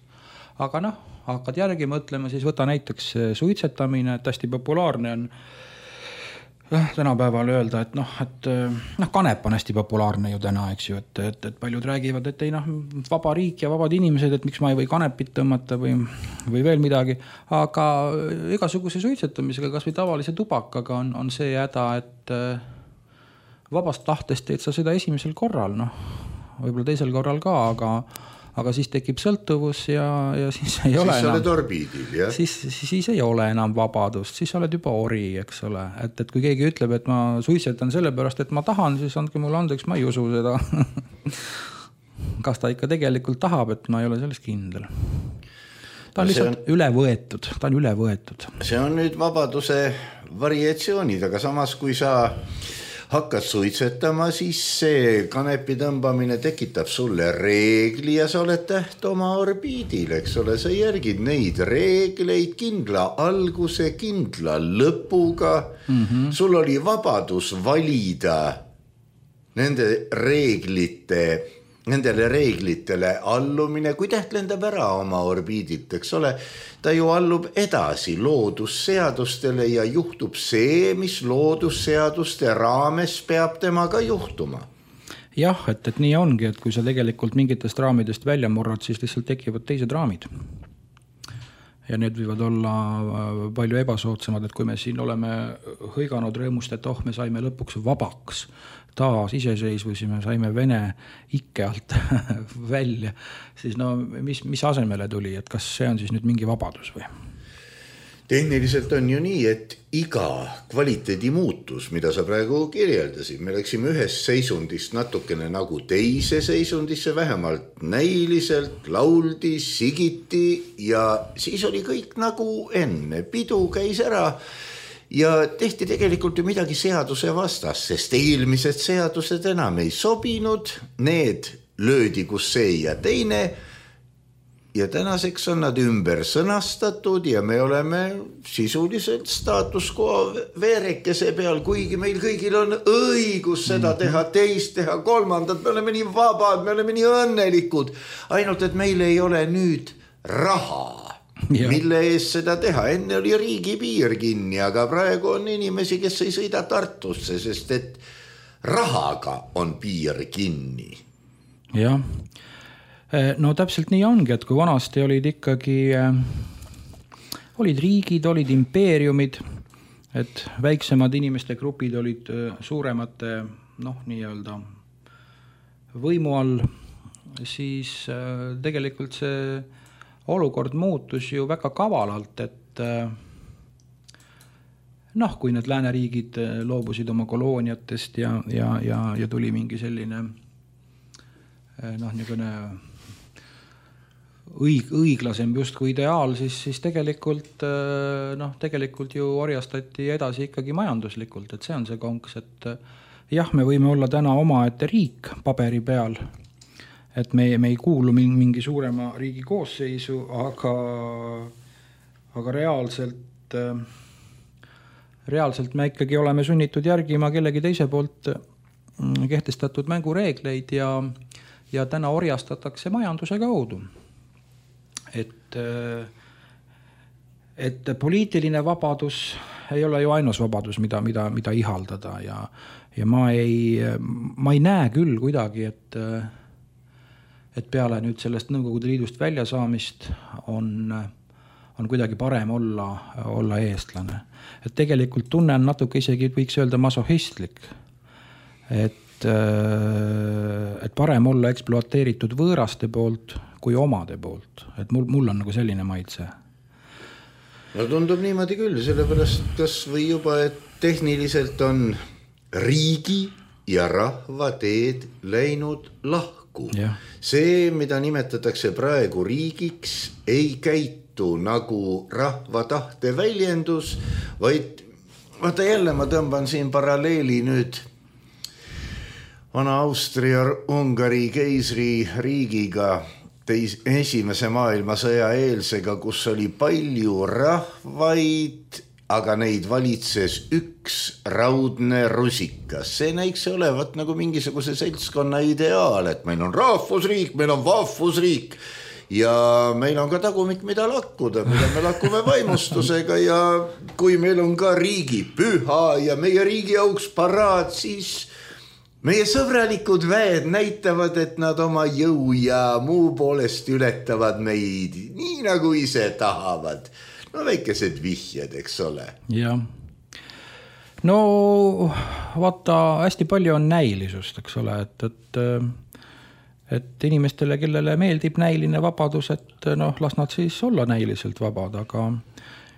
Aga noh, hakkad järgi mõtlema, siis võta näiteks suitsetamine, et hästi populaarne on tänapäeval öelda, et kanep on hästi populaarne ju täna, eks ju, et paljud räägivad, et ei vaba riik ja vabad inimesed, et miks ma ei või kanepit tõmmata või veel midagi, aga igasuguse suitsetamisega, kas või tavalise tubakaga on see häda, et vabast tahtest teed sa seda esimesel korral, võib-olla teisel korral ka, aga siis tekib sõltuvus ja siis ei ole enam. Siis oled orbiidil, jah? Siis ei ole enam vabadust, siis oled juba ori, eks ole. Et kui keegi ütleb, et ma suitsetan sellepärast, et ma tahan, siis andke mulle andeks, ma ei usu seda. Kas ta ikka tegelikult tahab, et ma ei ole selles kindel. Ta on lihtsalt üle võetud. See on nüüd vabaduse variatsioonid, aga samas kui sa hakkad suitsetama, siis see kanepi tõmbamine tekitab sulle reegli ja sa oled täht oma orbiidil, eks ole, sa järgid neid reegleid kindla alguse, kindla lõpuga. Sul oli vabadus valida nendele reeglitele allumine, kui täht lendab ära oma orbiidilt, eks ole, ta ju allub edasi loodusseadustele ja juhtub see, mis loodusseaduste raames peab temaga juhtuma. Jah, et nii ongi, et kui sa tegelikult mingitest raamidest välja murrad, siis lihtsalt tekivad teised raamid. Ja need võivad olla palju ebasoodsamad, et kui me siin oleme hõiganud rõõmust, et me saime lõpuks vabaks, taas iseseisvusime, saime Vene ikke alt välja, siis mis asemele tuli, et kas see on siis nüüd mingi vabadus või? Tehniliselt on ju nii, et iga kvaliteedi muutus, mida sa praegu kirjeldasid, me läksime ühest seisundist natukene nagu teise seisundisse, vähemalt näiliselt, lauldi, sigiti ja siis oli kõik nagu enne. Pidu käis ära ja tehti tegelikult ju midagi seaduse vastas, sest eelmised seadused enam ei sobinud, need löödi kus see ja teine ja tänaseks on nad ümber sõnastatud ja me oleme sisuliselt status quo veerekese peal, kuigi meil kõigil on õigus seda teha, teist teha, kolmandat, me oleme nii vabad, me oleme nii õnnelikud, ainult et meil ei ole nüüd raha, mille eest seda teha. Enne oli riigi piir kinni, aga praegu on inimesi, kes ei sõida Tartusse, sest et rahaga on piir kinni. Jah. No täpselt nii ongi, et kui vanasti olid ikkagi, olid riigid, olid impeeriumid, et väiksemad inimeste grupid olid suuremate, nii-öelda võimu all, siis tegelikult see olukord muutus ju väga kavalalt, et kui need lääneriigid loobusid oma kolooniatest ja tuli mingi selline niisugune õiglasem justkui ideaal, siis tegelikult ju orjastati edasi ikkagi majanduslikult, et see on see konks, et jah, me võime olla täna omaette riik paberi peal, et me ei kuulu mingi suurema riigi koosseisu, aga reaalselt me ikkagi oleme sunnitud järgima kellegi teise poolt kehtestatud mängureegleid ja täna orjastatakse majanduse kaudu. Et poliitiline vabadus ei ole ju ainus vabadus, mida ihaldada ja ma ei näe küll kuidagi, et peale nüüd sellest Nõukogude Liidust välja saamist on kuidagi parem olla eestlane. Et tegelikult tunnen natuke isegi võiks öelda masohistlik, et parem olla ekspluateeritud võõraste poolt kui omade poolt, et mul on nagu selline maitse. No tundub niimoodi küll, sellepärast kas või juba, et tehniliselt on riigi ja rahva teed läinud lahku. Ja. See, mida nimetatakse praegu riigiks, ei käitu nagu rahva tahte väljendus, vaid vaata jälle ma tõmban siin paralleeli nüüd vana Austria-Ungari keisri riigiga, esimese maailmasõja eelsega, kus oli palju rahvaid, aga neid valitses üks raudne rusikas. See näiks olevat nagu mingisuguse seltskonna ideaal, et meil on rahvusriik, meil on vahvusriik ja meil on ka tagumik, mida lakkuda, mida me lakkume vaimustusega ja kui meil on ka riigi püha ja meie riigi auks paraad, siis meie sõbralikud väed näitavad, et nad oma jõu ja muu poolest ületavad meid nii nagu ise tahavad. No väikesed vihjed, eks ole. Jah. No vaata, hästi palju on näilisust, eks ole, et inimestele, kellele meeldib näiline vabadus, et las nad siis olla näiliselt vabad, aga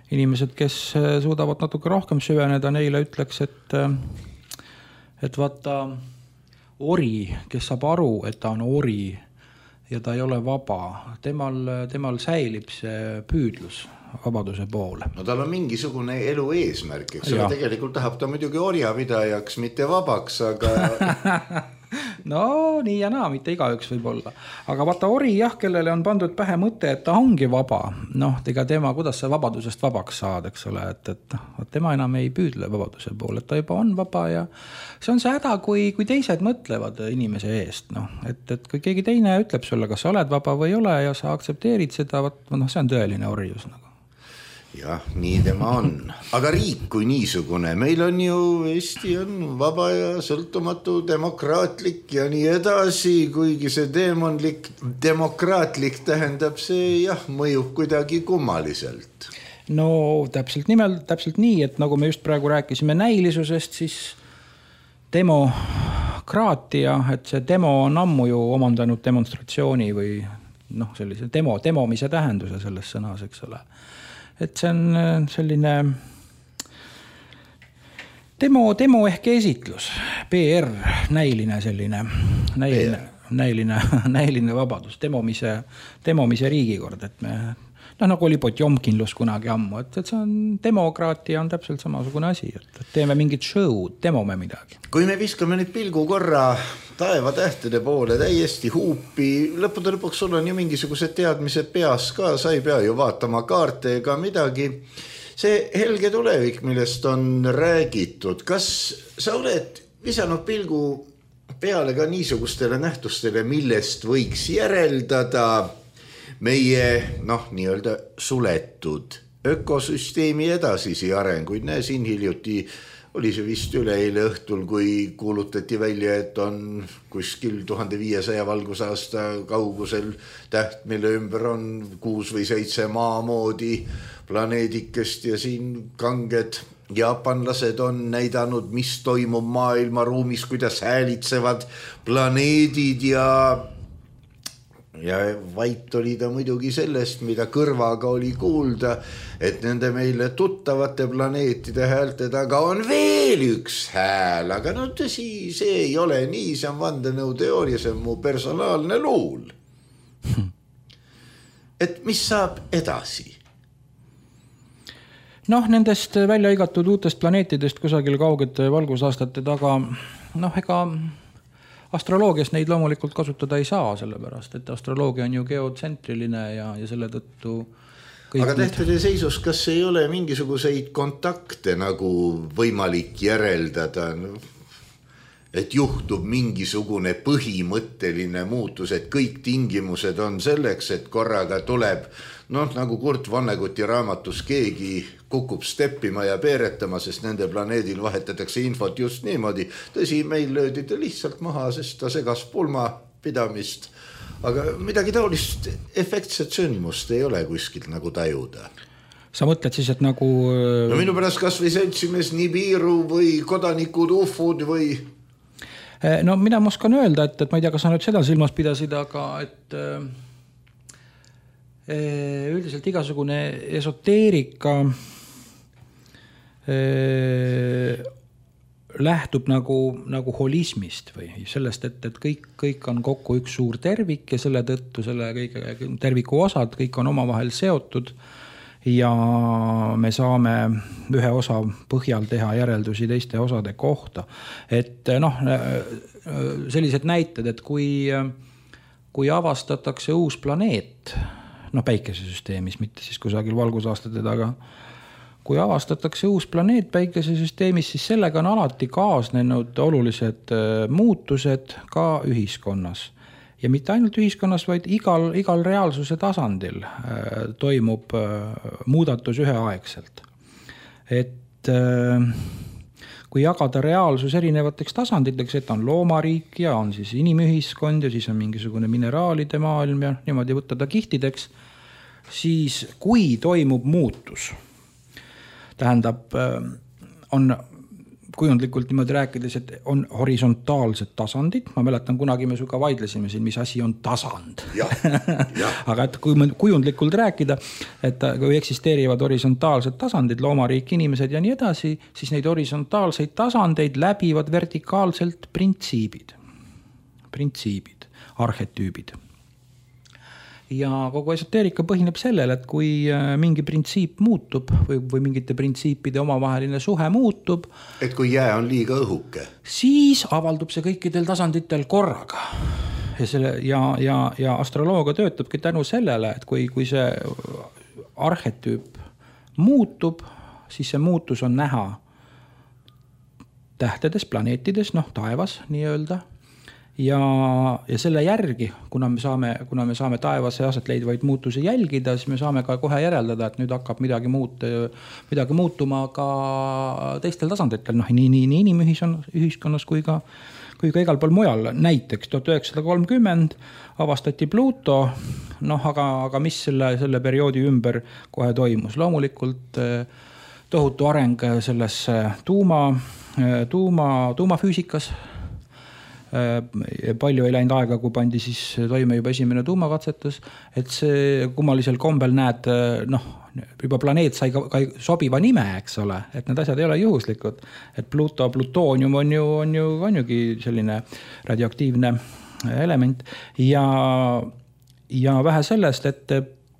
inimesed, kes suudavad natuke rohkem süveneda, neile ütleks, et vaata ori, kes saab aru, et ta on ori ja ta ei ole vaba, temal säilib see püüdlus vabaduse poole. No tal on mingisugune elu eesmärk, eks ole, tegelikult tahab ta muidugi orjapidajaks, mitte vabaks, aga no nii ja naa, mitte igaüks võib olla. Aga vaata ori jah, kellele on pandud pähe mõte, et ta ongi vaba. Ega tema, kuidas sa vabadusest vabaks saad, eks ole, et tema enam ei püüdle vabaduse poole, et ta juba on vaba ja see on see häda, kui teised mõtlevad inimese eest. Et kui keegi teine ütleb sulle, kas sa oled vaba või ei ole ja sa aktsepteerid seda, see on tõeline orjus nagu. Jah, nii tema on. Aga riik kui niisugune, meil on ju Eesti on vaba ja sõltumatu, demokraatlik ja nii edasi, kuigi see demokraatlik tähendab see mõjub kuidagi kummaliselt. No täpselt nii, et nagu me just praegu rääkisime näilisusest, siis demokraatia, et see demo on ammu ju omandanud demonstratsiooni või sellise demomise tähenduse selles sõnas, eks ole. Et see on selline demo ehk esitlus, PR, näiline selline, näiline vabadus, demomise riigikord, et me nagu oli Potjomkinlus kunagi ammu, et see on demokraatia on täpselt samasugune asi, et teeme mingit show'd, demome midagi. Kui me viskame nüüd pilgu korra taevatähtede poole täiesti huupi, lõppude lõpuks sul on ju mingisugused teadmised peas ka, sa ei pea ju vaatama kaarte ega midagi. See helge tulevik, millest on räägitud, kas sa oled visanud pilgu peale ka niisugustele nähtustele, millest võiks järeldada meie, nii-öelda suletud ökosüsteemi edasisi arenguid. Näe, siin hiljuti oli see vist üleeile õhtul, kui kuulutati välja, et on kuskil 1500 valgusaasta kaugusel täht, mille ümber on 6 või 7 maa moodi planeedikest ja siin kanged jaapanlased on näidanud, mis toimub maailmaruumis, kuidas häälitsevad planeedid ja vait oli ta muidugi sellest, mida kõrvaga oli kuulda, et nende meile tuttavate planeetide häälte taga on veel üks hääl, aga tõsi, see ei ole nii, see on vandenõuteooria, see on mu personaalne luul. Et mis saab edasi? Nendest välja igatud uutest planeetidest kusagil kaugete valgusaastate taga, ega astroloogias neid loomulikult kasutada ei saa, sellepärast, et astroloogia on ju geotsentriline ja selle tõttu aga tähtede seisus, kas ei ole mingisuguseid kontakte nagu võimalik järeldada, et juhtub mingisugune põhimõtteline muutus, et kõik tingimused on selleks, et korraga tuleb, nagu Kurt Vonneguti raamatus keegi kukub steppima ja peeretama, sest nende planeedil vahetatakse infot just niimoodi. Tõsi, meil löödi ta lihtsalt maha, sest ta segas pulma pidamist. Aga midagi taolist efektset sündmust ei ole kuskilt nagu tajuda. Sa mõtled siis, et nagu... minu pärast kas või seltsimees Nibiru või kodanikud ufud või... mida ma oskan öelda, et ma ei tea, kas sa nüüd seda silmas pidasid, aga et üldiselt igasugune esoteerika lähtub nagu holismist või sellest, et kõik on kokku üks suur tervik ja selle tõttu selle kõige terviku osad, kõik on omavahel seotud ja me saame ühe osa põhjal teha järeldusi teiste osade kohta. Et sellised näited, et kui avastatakse uus planeet, päikesesüsteemis, mitte siis kusagil valgusaastate taga, kui avastatakse uus planeet päikesesüsteemis, siis sellega on alati kaasnenud olulised muutused ka ühiskonnas. Ja mitte ainult ühiskonnas, vaid igal reaalsuse tasandil toimub muudatus üheaegselt. Et kui jagada reaalsus erinevateks tasanditeks, et on loomariik ja on siis inimühiskond ja siis on mingisugune mineraalide maailm ja niimoodi võtta ta kihtideks, siis kui toimub muutus, tähendab, on kujundlikult niimoodi rääkides, et on horisontaalsed tasandid. Ma mäletan, kunagi me suga vaidlesime siin, mis asi on tasand. Aga et kui kujundlikult rääkida, et kui eksisteerivad horisontaalsed tasandid, loomariik, inimesed ja nii edasi, siis neid horisontaalseid tasandeid läbivad vertikaalselt printsiibid, arhetüübid. Ja kogu esoteerika põhineb sellel, et kui mingi printsiip muutub või mingite printsiipide omavaheline suhe muutub, et kui jää on liiga õhuke, siis avaldub see kõikidel tasanditel korraga. Ja astroloogia töötabki tänu sellele, et kui see arhetüüp muutub, siis see muutus on näha tähtedes, planeetides, taevas nii öelda. Ja selle järgi, kuna me saame taevase aset leidvaid muutusi jälgida, siis me saame ka kohe järeldada, et nüüd hakkab midagi muutuma ka teistel tasanditel, nii inimühiskonnas kui ka igal pool mujal. Näiteks 1930 avastati Pluto, aga mis selle perioodi ümber kohe toimus? Loomulikult tohutu areng selles tuumafüüsikas. Palju ei läinud aega, kui pandi siis toime juba esimene tuumakatsetus, et see kummalisel kombel näed, juba planeet sai ka sobiva nime, eks ole, et need asjad ei ole juhuslikud, et plutoonium on jugi selline radioaktiivne element ja vähe sellest, et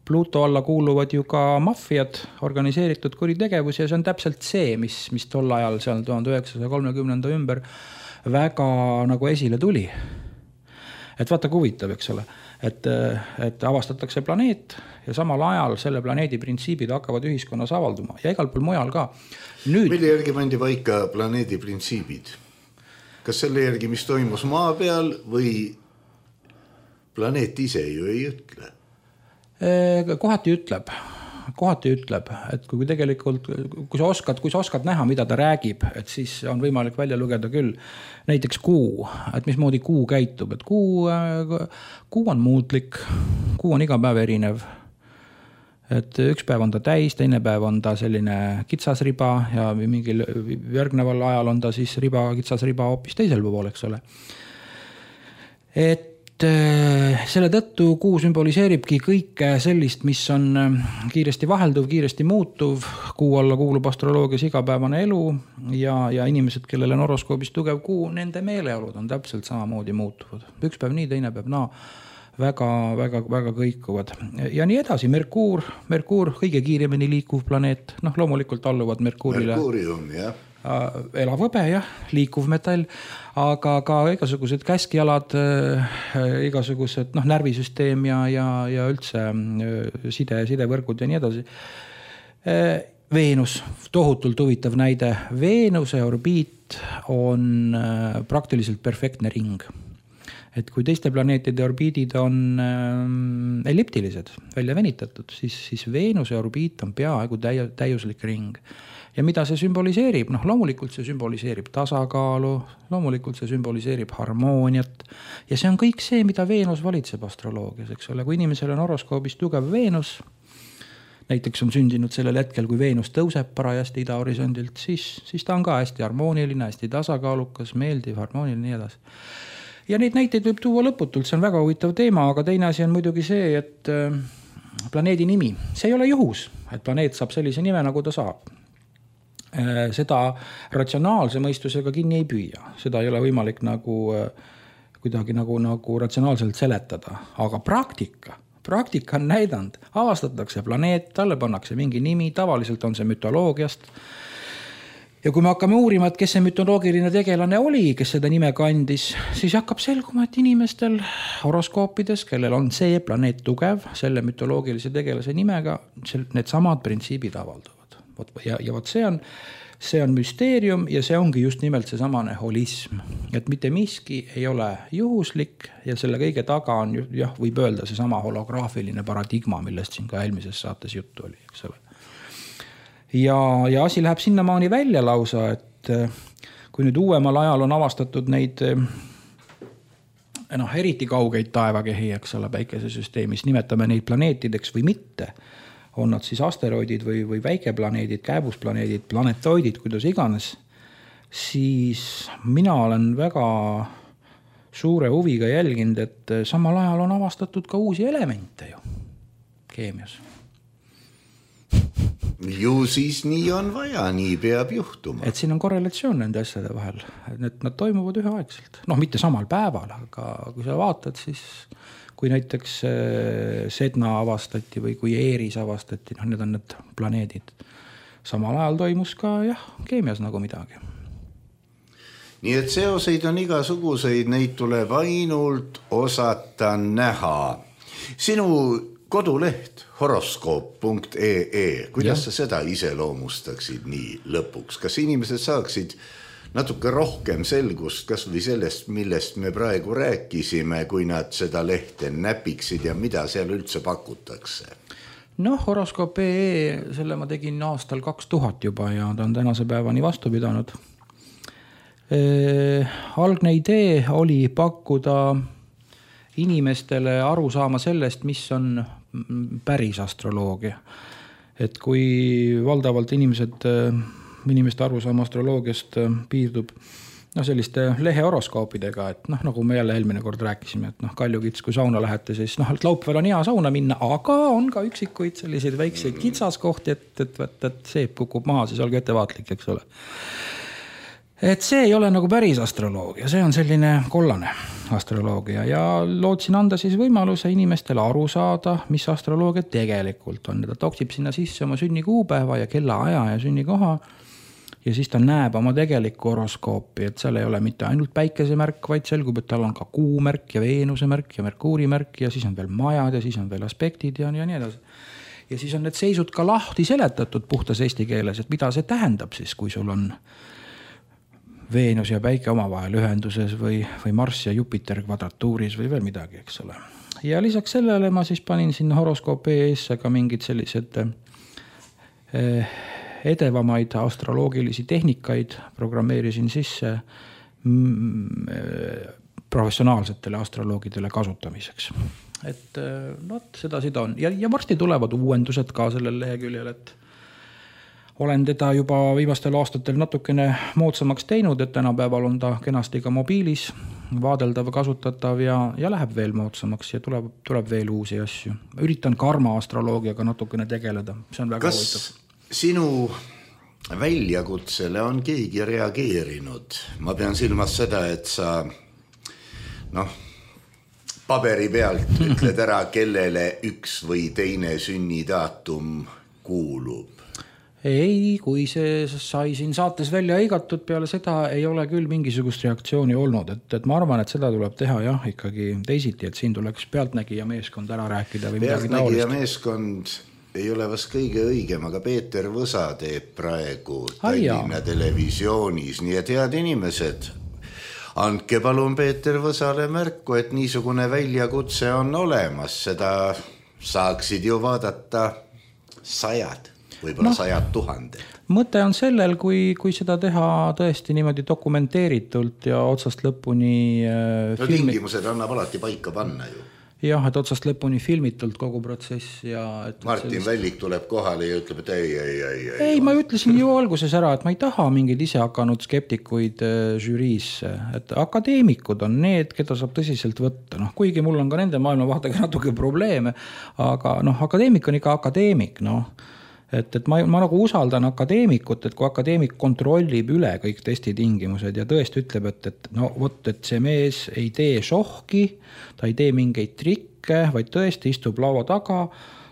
Pluto alla kuuluvad ju ka maffiad, organiseeritud kuritegevus ja see on täpselt see, mis tol ajal seal 1930 ümber väga nagu esile tuli. Et vaata kui huvitav, eks ole, et avastatakse planeet ja samal ajal selle planeedi printsiibid hakkavad ühiskonnas avalduma ja igal pool mujal ka. Mille järgi pandi paika planeedi printsiibid? Kas selle järgi, mis toimus maa peal või planeet ise ju ei ütle? Kohati ütleb, et kui tegelikult, kui sa oskad näha, mida ta räägib, et siis on võimalik välja lugeda küll näiteks kuu, et mismoodi kuu käitub, et kuu on muutlik, kuu on iga päev erinev, et üks päev on ta täis, teine päev on ta selline kitsasriba ja mingil järgneval ajal on ta siis kitsasriba hoopis teisel pool, eks ole. Et selle tõttu kuu sümboliseeribki kõike sellist, mis on kiiresti vahelduv, kiiresti muutuv. Kuu alla kuulub astroloogias igapäevane elu ja inimesed, kellel on horoskoobis tugev kuu, nende meeleolud on täpselt samamoodi muutuvad. Üks päev nii, teine päev naa, väga kõikuvad. Ja nii edasi, Merkuur, kõige kiiremini liikuv planeet, loomulikult alluvad Merkuurile. Merkuurium, jah. Elav hõbe, jah, liikuv metall, aga ka igasugused käskjalad, igasugused närvisüsteem ja üldse sidevõrgud ja nii edasi. Veenus, tohutult huvitav näide. Veenuse orbiit on praktiliselt perfektne ring. Et kui teiste planeetide orbiidid on elliptilised, välja venitatud, siis Veenuse orbiit on peaaegu täiuslik ring. Ja mida see sümboliseerib? Loomulikult see sümboliseerib tasakaalu, loomulikult see sümboliseerib harmooniat ja see on kõik see, mida Veenus valitseb astroloogias, eks ole. Kui inimesel on horoskoobis tugev Veenus, näiteks on sündinud sellel hetkel, kui Veenus tõuseb parajasti idahorisondilt, siis ta on ka hästi harmooniline, hästi tasakaalukas, meeldiv, harmooniline nii edasi. Ja neid näiteid võib tuua lõputult, see on väga huvitav teema, aga teine asi on muidugi see, et planeedi nimi, see ei ole juhus, et planeet saab sellise nime, nagu ta saab. Seda ratsionaalse mõistusega kinni ei püüa. Seda ei ole võimalik kuidagi nagu ratsionaalselt seletada. Aga praktika on näidanud. Avastatakse planeet, talle pannakse mingi nimi, tavaliselt on see mütoloogiast. Ja kui me hakkame uurima, et kes see mütoloogiline tegelane oli, kes seda nime kandis, siis hakkab selguma, et inimestel horoskoopides, kellel on see planeet tugev, selle mütoloogilise tegelase nimega, need samad printsiibid avalduvad. Ja võt see on müsteerium ja see ongi just nimelt see samane holism. Et mitte miski ei ole juhuslik ja selle kõige taga on, võib öelda see sama holograafiline paradigma, millest siin ka eelmises saates juttu oli, eks ole. Ja asi läheb sinnamaani välja lausa, et kui nüüd uuemal ajal on avastatud neid eriti kaugeid taevakehi, eks ole, päikesesüsteemis, nimetame neid planeetideks või mitte, on nad siis asteroidid või väikeplaneedid, kääbusplaneedid, planetoidid, kuidas iganes, siis mina olen väga suure huviga jälginud, et samal ajal on avastatud ka uusi elemente ju keemias. Ju siis nii on vaja, nii peab juhtuma. Et siin on korrelatsioon nende asjade vahel, et nad toimuvad üheaegselt. Mitte samal päeval, aga kui sa vaatad, siis kui näiteks Sedna avastati või kui Eeris avastati, need on need planeedid. Samal ajal toimus ka keemias nagu midagi. Nii et seoseid on igasuguseid, neid tuleb ainult osata näha. Sinu koduleht horoskoop.ee, kuidas sa seda iseloomustaksid nii lõpuks? Kas inimesed saaksid natuke rohkem selgust kas või sellest, millest me praegu rääkisime, kui nad seda lehte näpiksid ja mida seal üldse pakutakse? Horoskoop.ee, selle ma tegin aastal 2000 juba ja ta on tänase päevani vastu pidanud. Algne idee oli pakkuda inimestele aru saama sellest, mis on päris astroloogia. Et kui valdavalt inimeste arusaama astroloogiast piirdub selliste lehehoroskoopidega, et nagu me jälle eelmine kord rääkisime, et Kaljukits, kui sauna lähete, siis laupäeval on hea sauna minna, aga on ka üksikuid selliseid väikseid kitsaskohti, et seep kukub maha, siis olge ettevaatlik, eks ole. et see ei ole nagu päris astroloogia, see on selline kollane astroloogia ja lootsin anda siis võimaluse inimestele aru saada, mis astroloogia tegelikult on. Ta toksib sinna sisse oma sünnikuupäeva ja kellaaja ja sünnikoha ja siis ta näeb oma tegelikku horoskoopi, et seal ei ole mitte ainult päikesemärk, vaid selgub, et tal on ka kuumärk ja Veenuse märk ja Merkuuri märk ja siis on veel majad ja siis on veel aspektid ja nii edasi. Ja siis on need seisud ka lahti seletatud puhtas eesti keeles, et mida see tähendab siis, kui sul on Veenus ja Päike omavahel ühenduses või Marss ja Jupiter kvadratuuris või veel midagi, eks ole. Ja lisaks sellele ma siis panin sinna horoskoopi eesse ka mingid sellised edevamaid astroloogilisi tehnikaid, programmeerisin sisse professionaalsetele astroloogidele kasutamiseks. Et sedasi ta on. Ja varsti tulevad uuendused ka sellel leheküljel, et olen teda juba viimastel aastatel natukene moodsamaks teinud, et tänapäeval on ta kenasti ka mobiilis, vaadeldav, kasutatav ja läheb veel moodsamaks ja tuleb veel uusi asju. Üritan karma astroloogiaga natukene tegeleda, see on väga huvitav. Sinu väljakutsele on keegi reageerinud? Ma pean silmas seda, et sa paberi pealt ütled ära, kellele üks või teine sünnidaatum kuulub. Ei, kui see sai siin saates välja hõigatud, peale seda ei ole küll mingisugust reaktsiooni olnud, et ma arvan, et seda tuleb teha jah, ikkagi teisiti, et siin tuleks pealtnägija meeskond ära rääkida või midagi taolist. Pealtnägija meeskond ei ole vast kõige õigem, aga Peeter Võsa teeb praegu Tallinna televisioonis, nii et head inimesed, andke palun Peeter Võsale märku, et niisugune väljakutse on olemas, seda saaksid ju vaadata 100, võib-olla 100 000. Mõte on sellel, kui seda teha tõesti niimoodi dokumenteeritult ja otsast lõpuni tingimused annab alati paika panna ju. Jah, et otsast lõpuni filmitult kogu protsess ja Martin Vällik tuleb kohale ja ütleb, et ei. Ma ütlesin ju alguses ära, et ma ei taha mingeid ise hakanud skeptikuid žüriisse, et akadeemikud on need, keda saab tõsiselt võtta. Kuigi mul on ka nende maailmavaatega natuke probleeme, aga akadeemik on ikka akadeemik, Et ma nagu usaldan akadeemikut, et kui akadeemik kontrollib üle kõik testitingimused ja tõesti ütleb, et see mees ei tee šohki, ta ei tee mingeid trikke, vaid tõesti istub laua taga,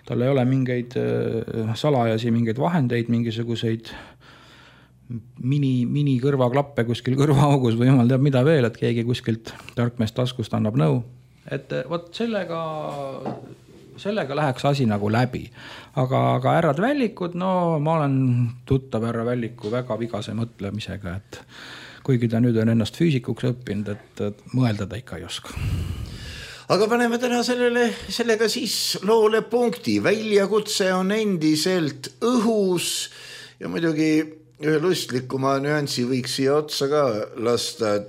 tal ei ole mingeid salajasi, mingeid vahendeid, mingisuguseid mini kõrvaklappe kuskil kõrvaaugus või jumal teab mida veel, et keegi kuskilt tarkmeest taskust annab nõu. Et sellega läheks asi nagu läbi. Aga härrad Vällikud, ma olen tuttav härra Välliku väga vigase mõtlemisega, et kuigi ta nüüd on ennast füüsikuks õppinud, et mõelda ta ikka ei oska. Aga paneme täna sellega siis loole punkti. Väljakutse on endiselt õhus ja muidugi ühe lustlikuma nüansi võiks siia otsa ka lasta,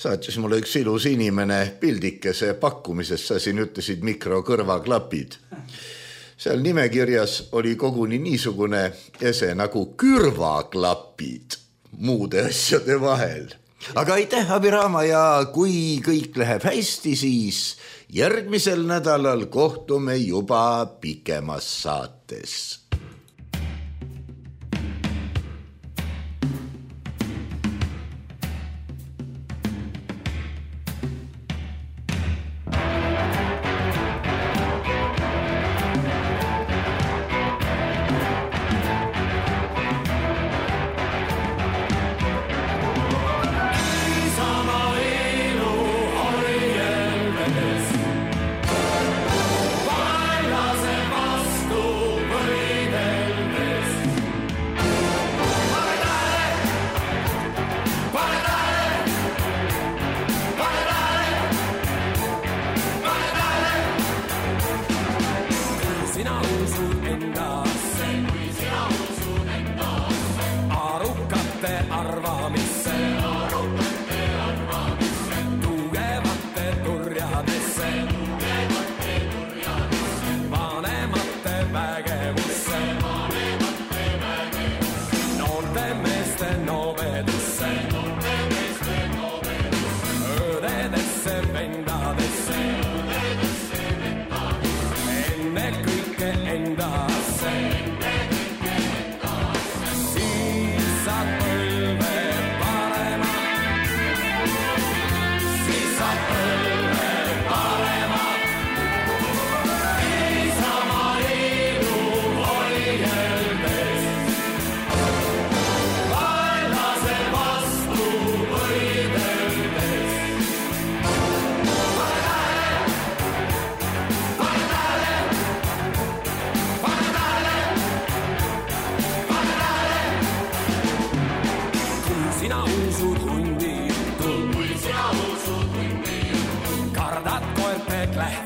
saatis mulle üks ilus inimene pildikese pakkumisest, sa siin ütlesid mikrokõrvaklapid. Seal nimekirjas oli koguni niisugune ese nagu kõrvaklapid muude asjade vahel. Aga aitäh, Abiraama, ja kui kõik läheb hästi, siis järgmisel nädalal kohtume juba pikemas saates. Vaenlase vastu või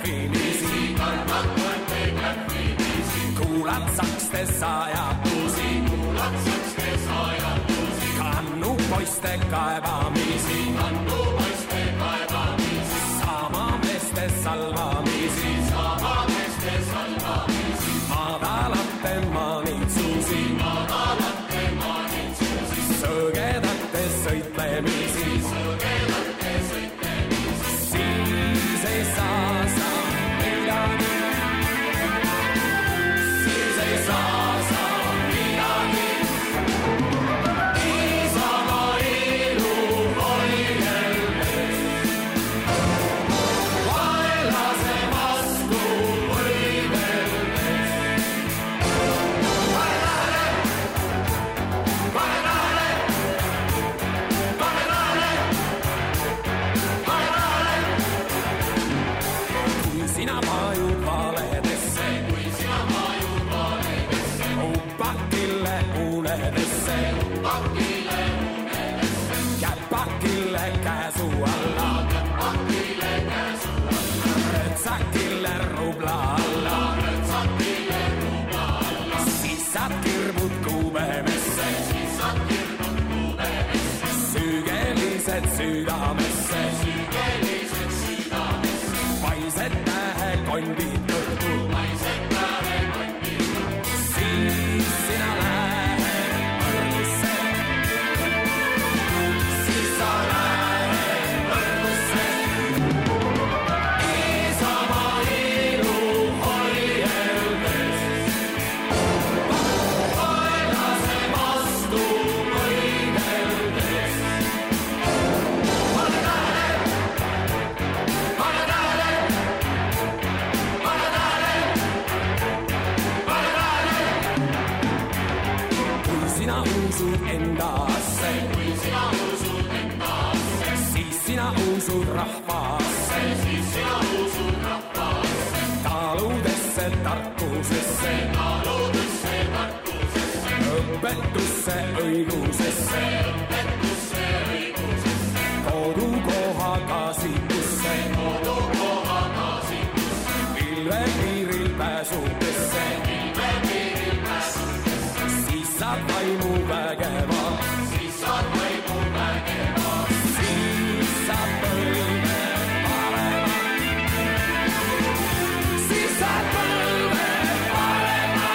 kähvimisi. Kuulad sakstes ajatusi. Kannu poiste kaevamisi. Sama meeste salvamisi. Madalate manitsusi. Sõgedate sõitlemisi. Siis ei saa sa midagi. Siis ei saa sa midagi. Isamaa ilu oli helmes. Vaenlase vastu võideldes. Pane tähele, pane tähele, pane tähele, pane tähele. Kui sina vajud valedesse, upakille unedesse, jääb pakille käsu alla, rõtsakille rubla alla, siis saad kirbud kuubemesse, süügelised südamesse, paised tähekondid kõrgu, siis sina lähed võrgusse, siis sa lähed võrgusse. Isamaa ilu oli helmes, vaenlase vastu võideldes. Pane tähele, pane tähele, pane tähele, pane tähele. Kui sina usud endasse, siis sina usud rahvasse, taludesse, tarkusesse, õpetusse, õigusesse, kodukoha kaasitusse, pilvepiiril pääsutesse, siis saad vaimu vägeva, siis saad põlve parema, siis saad põlve parema.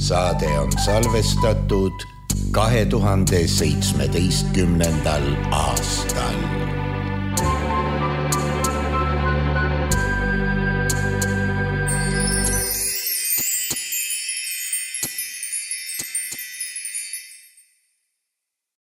Saade on salvestatud 2017. aastal.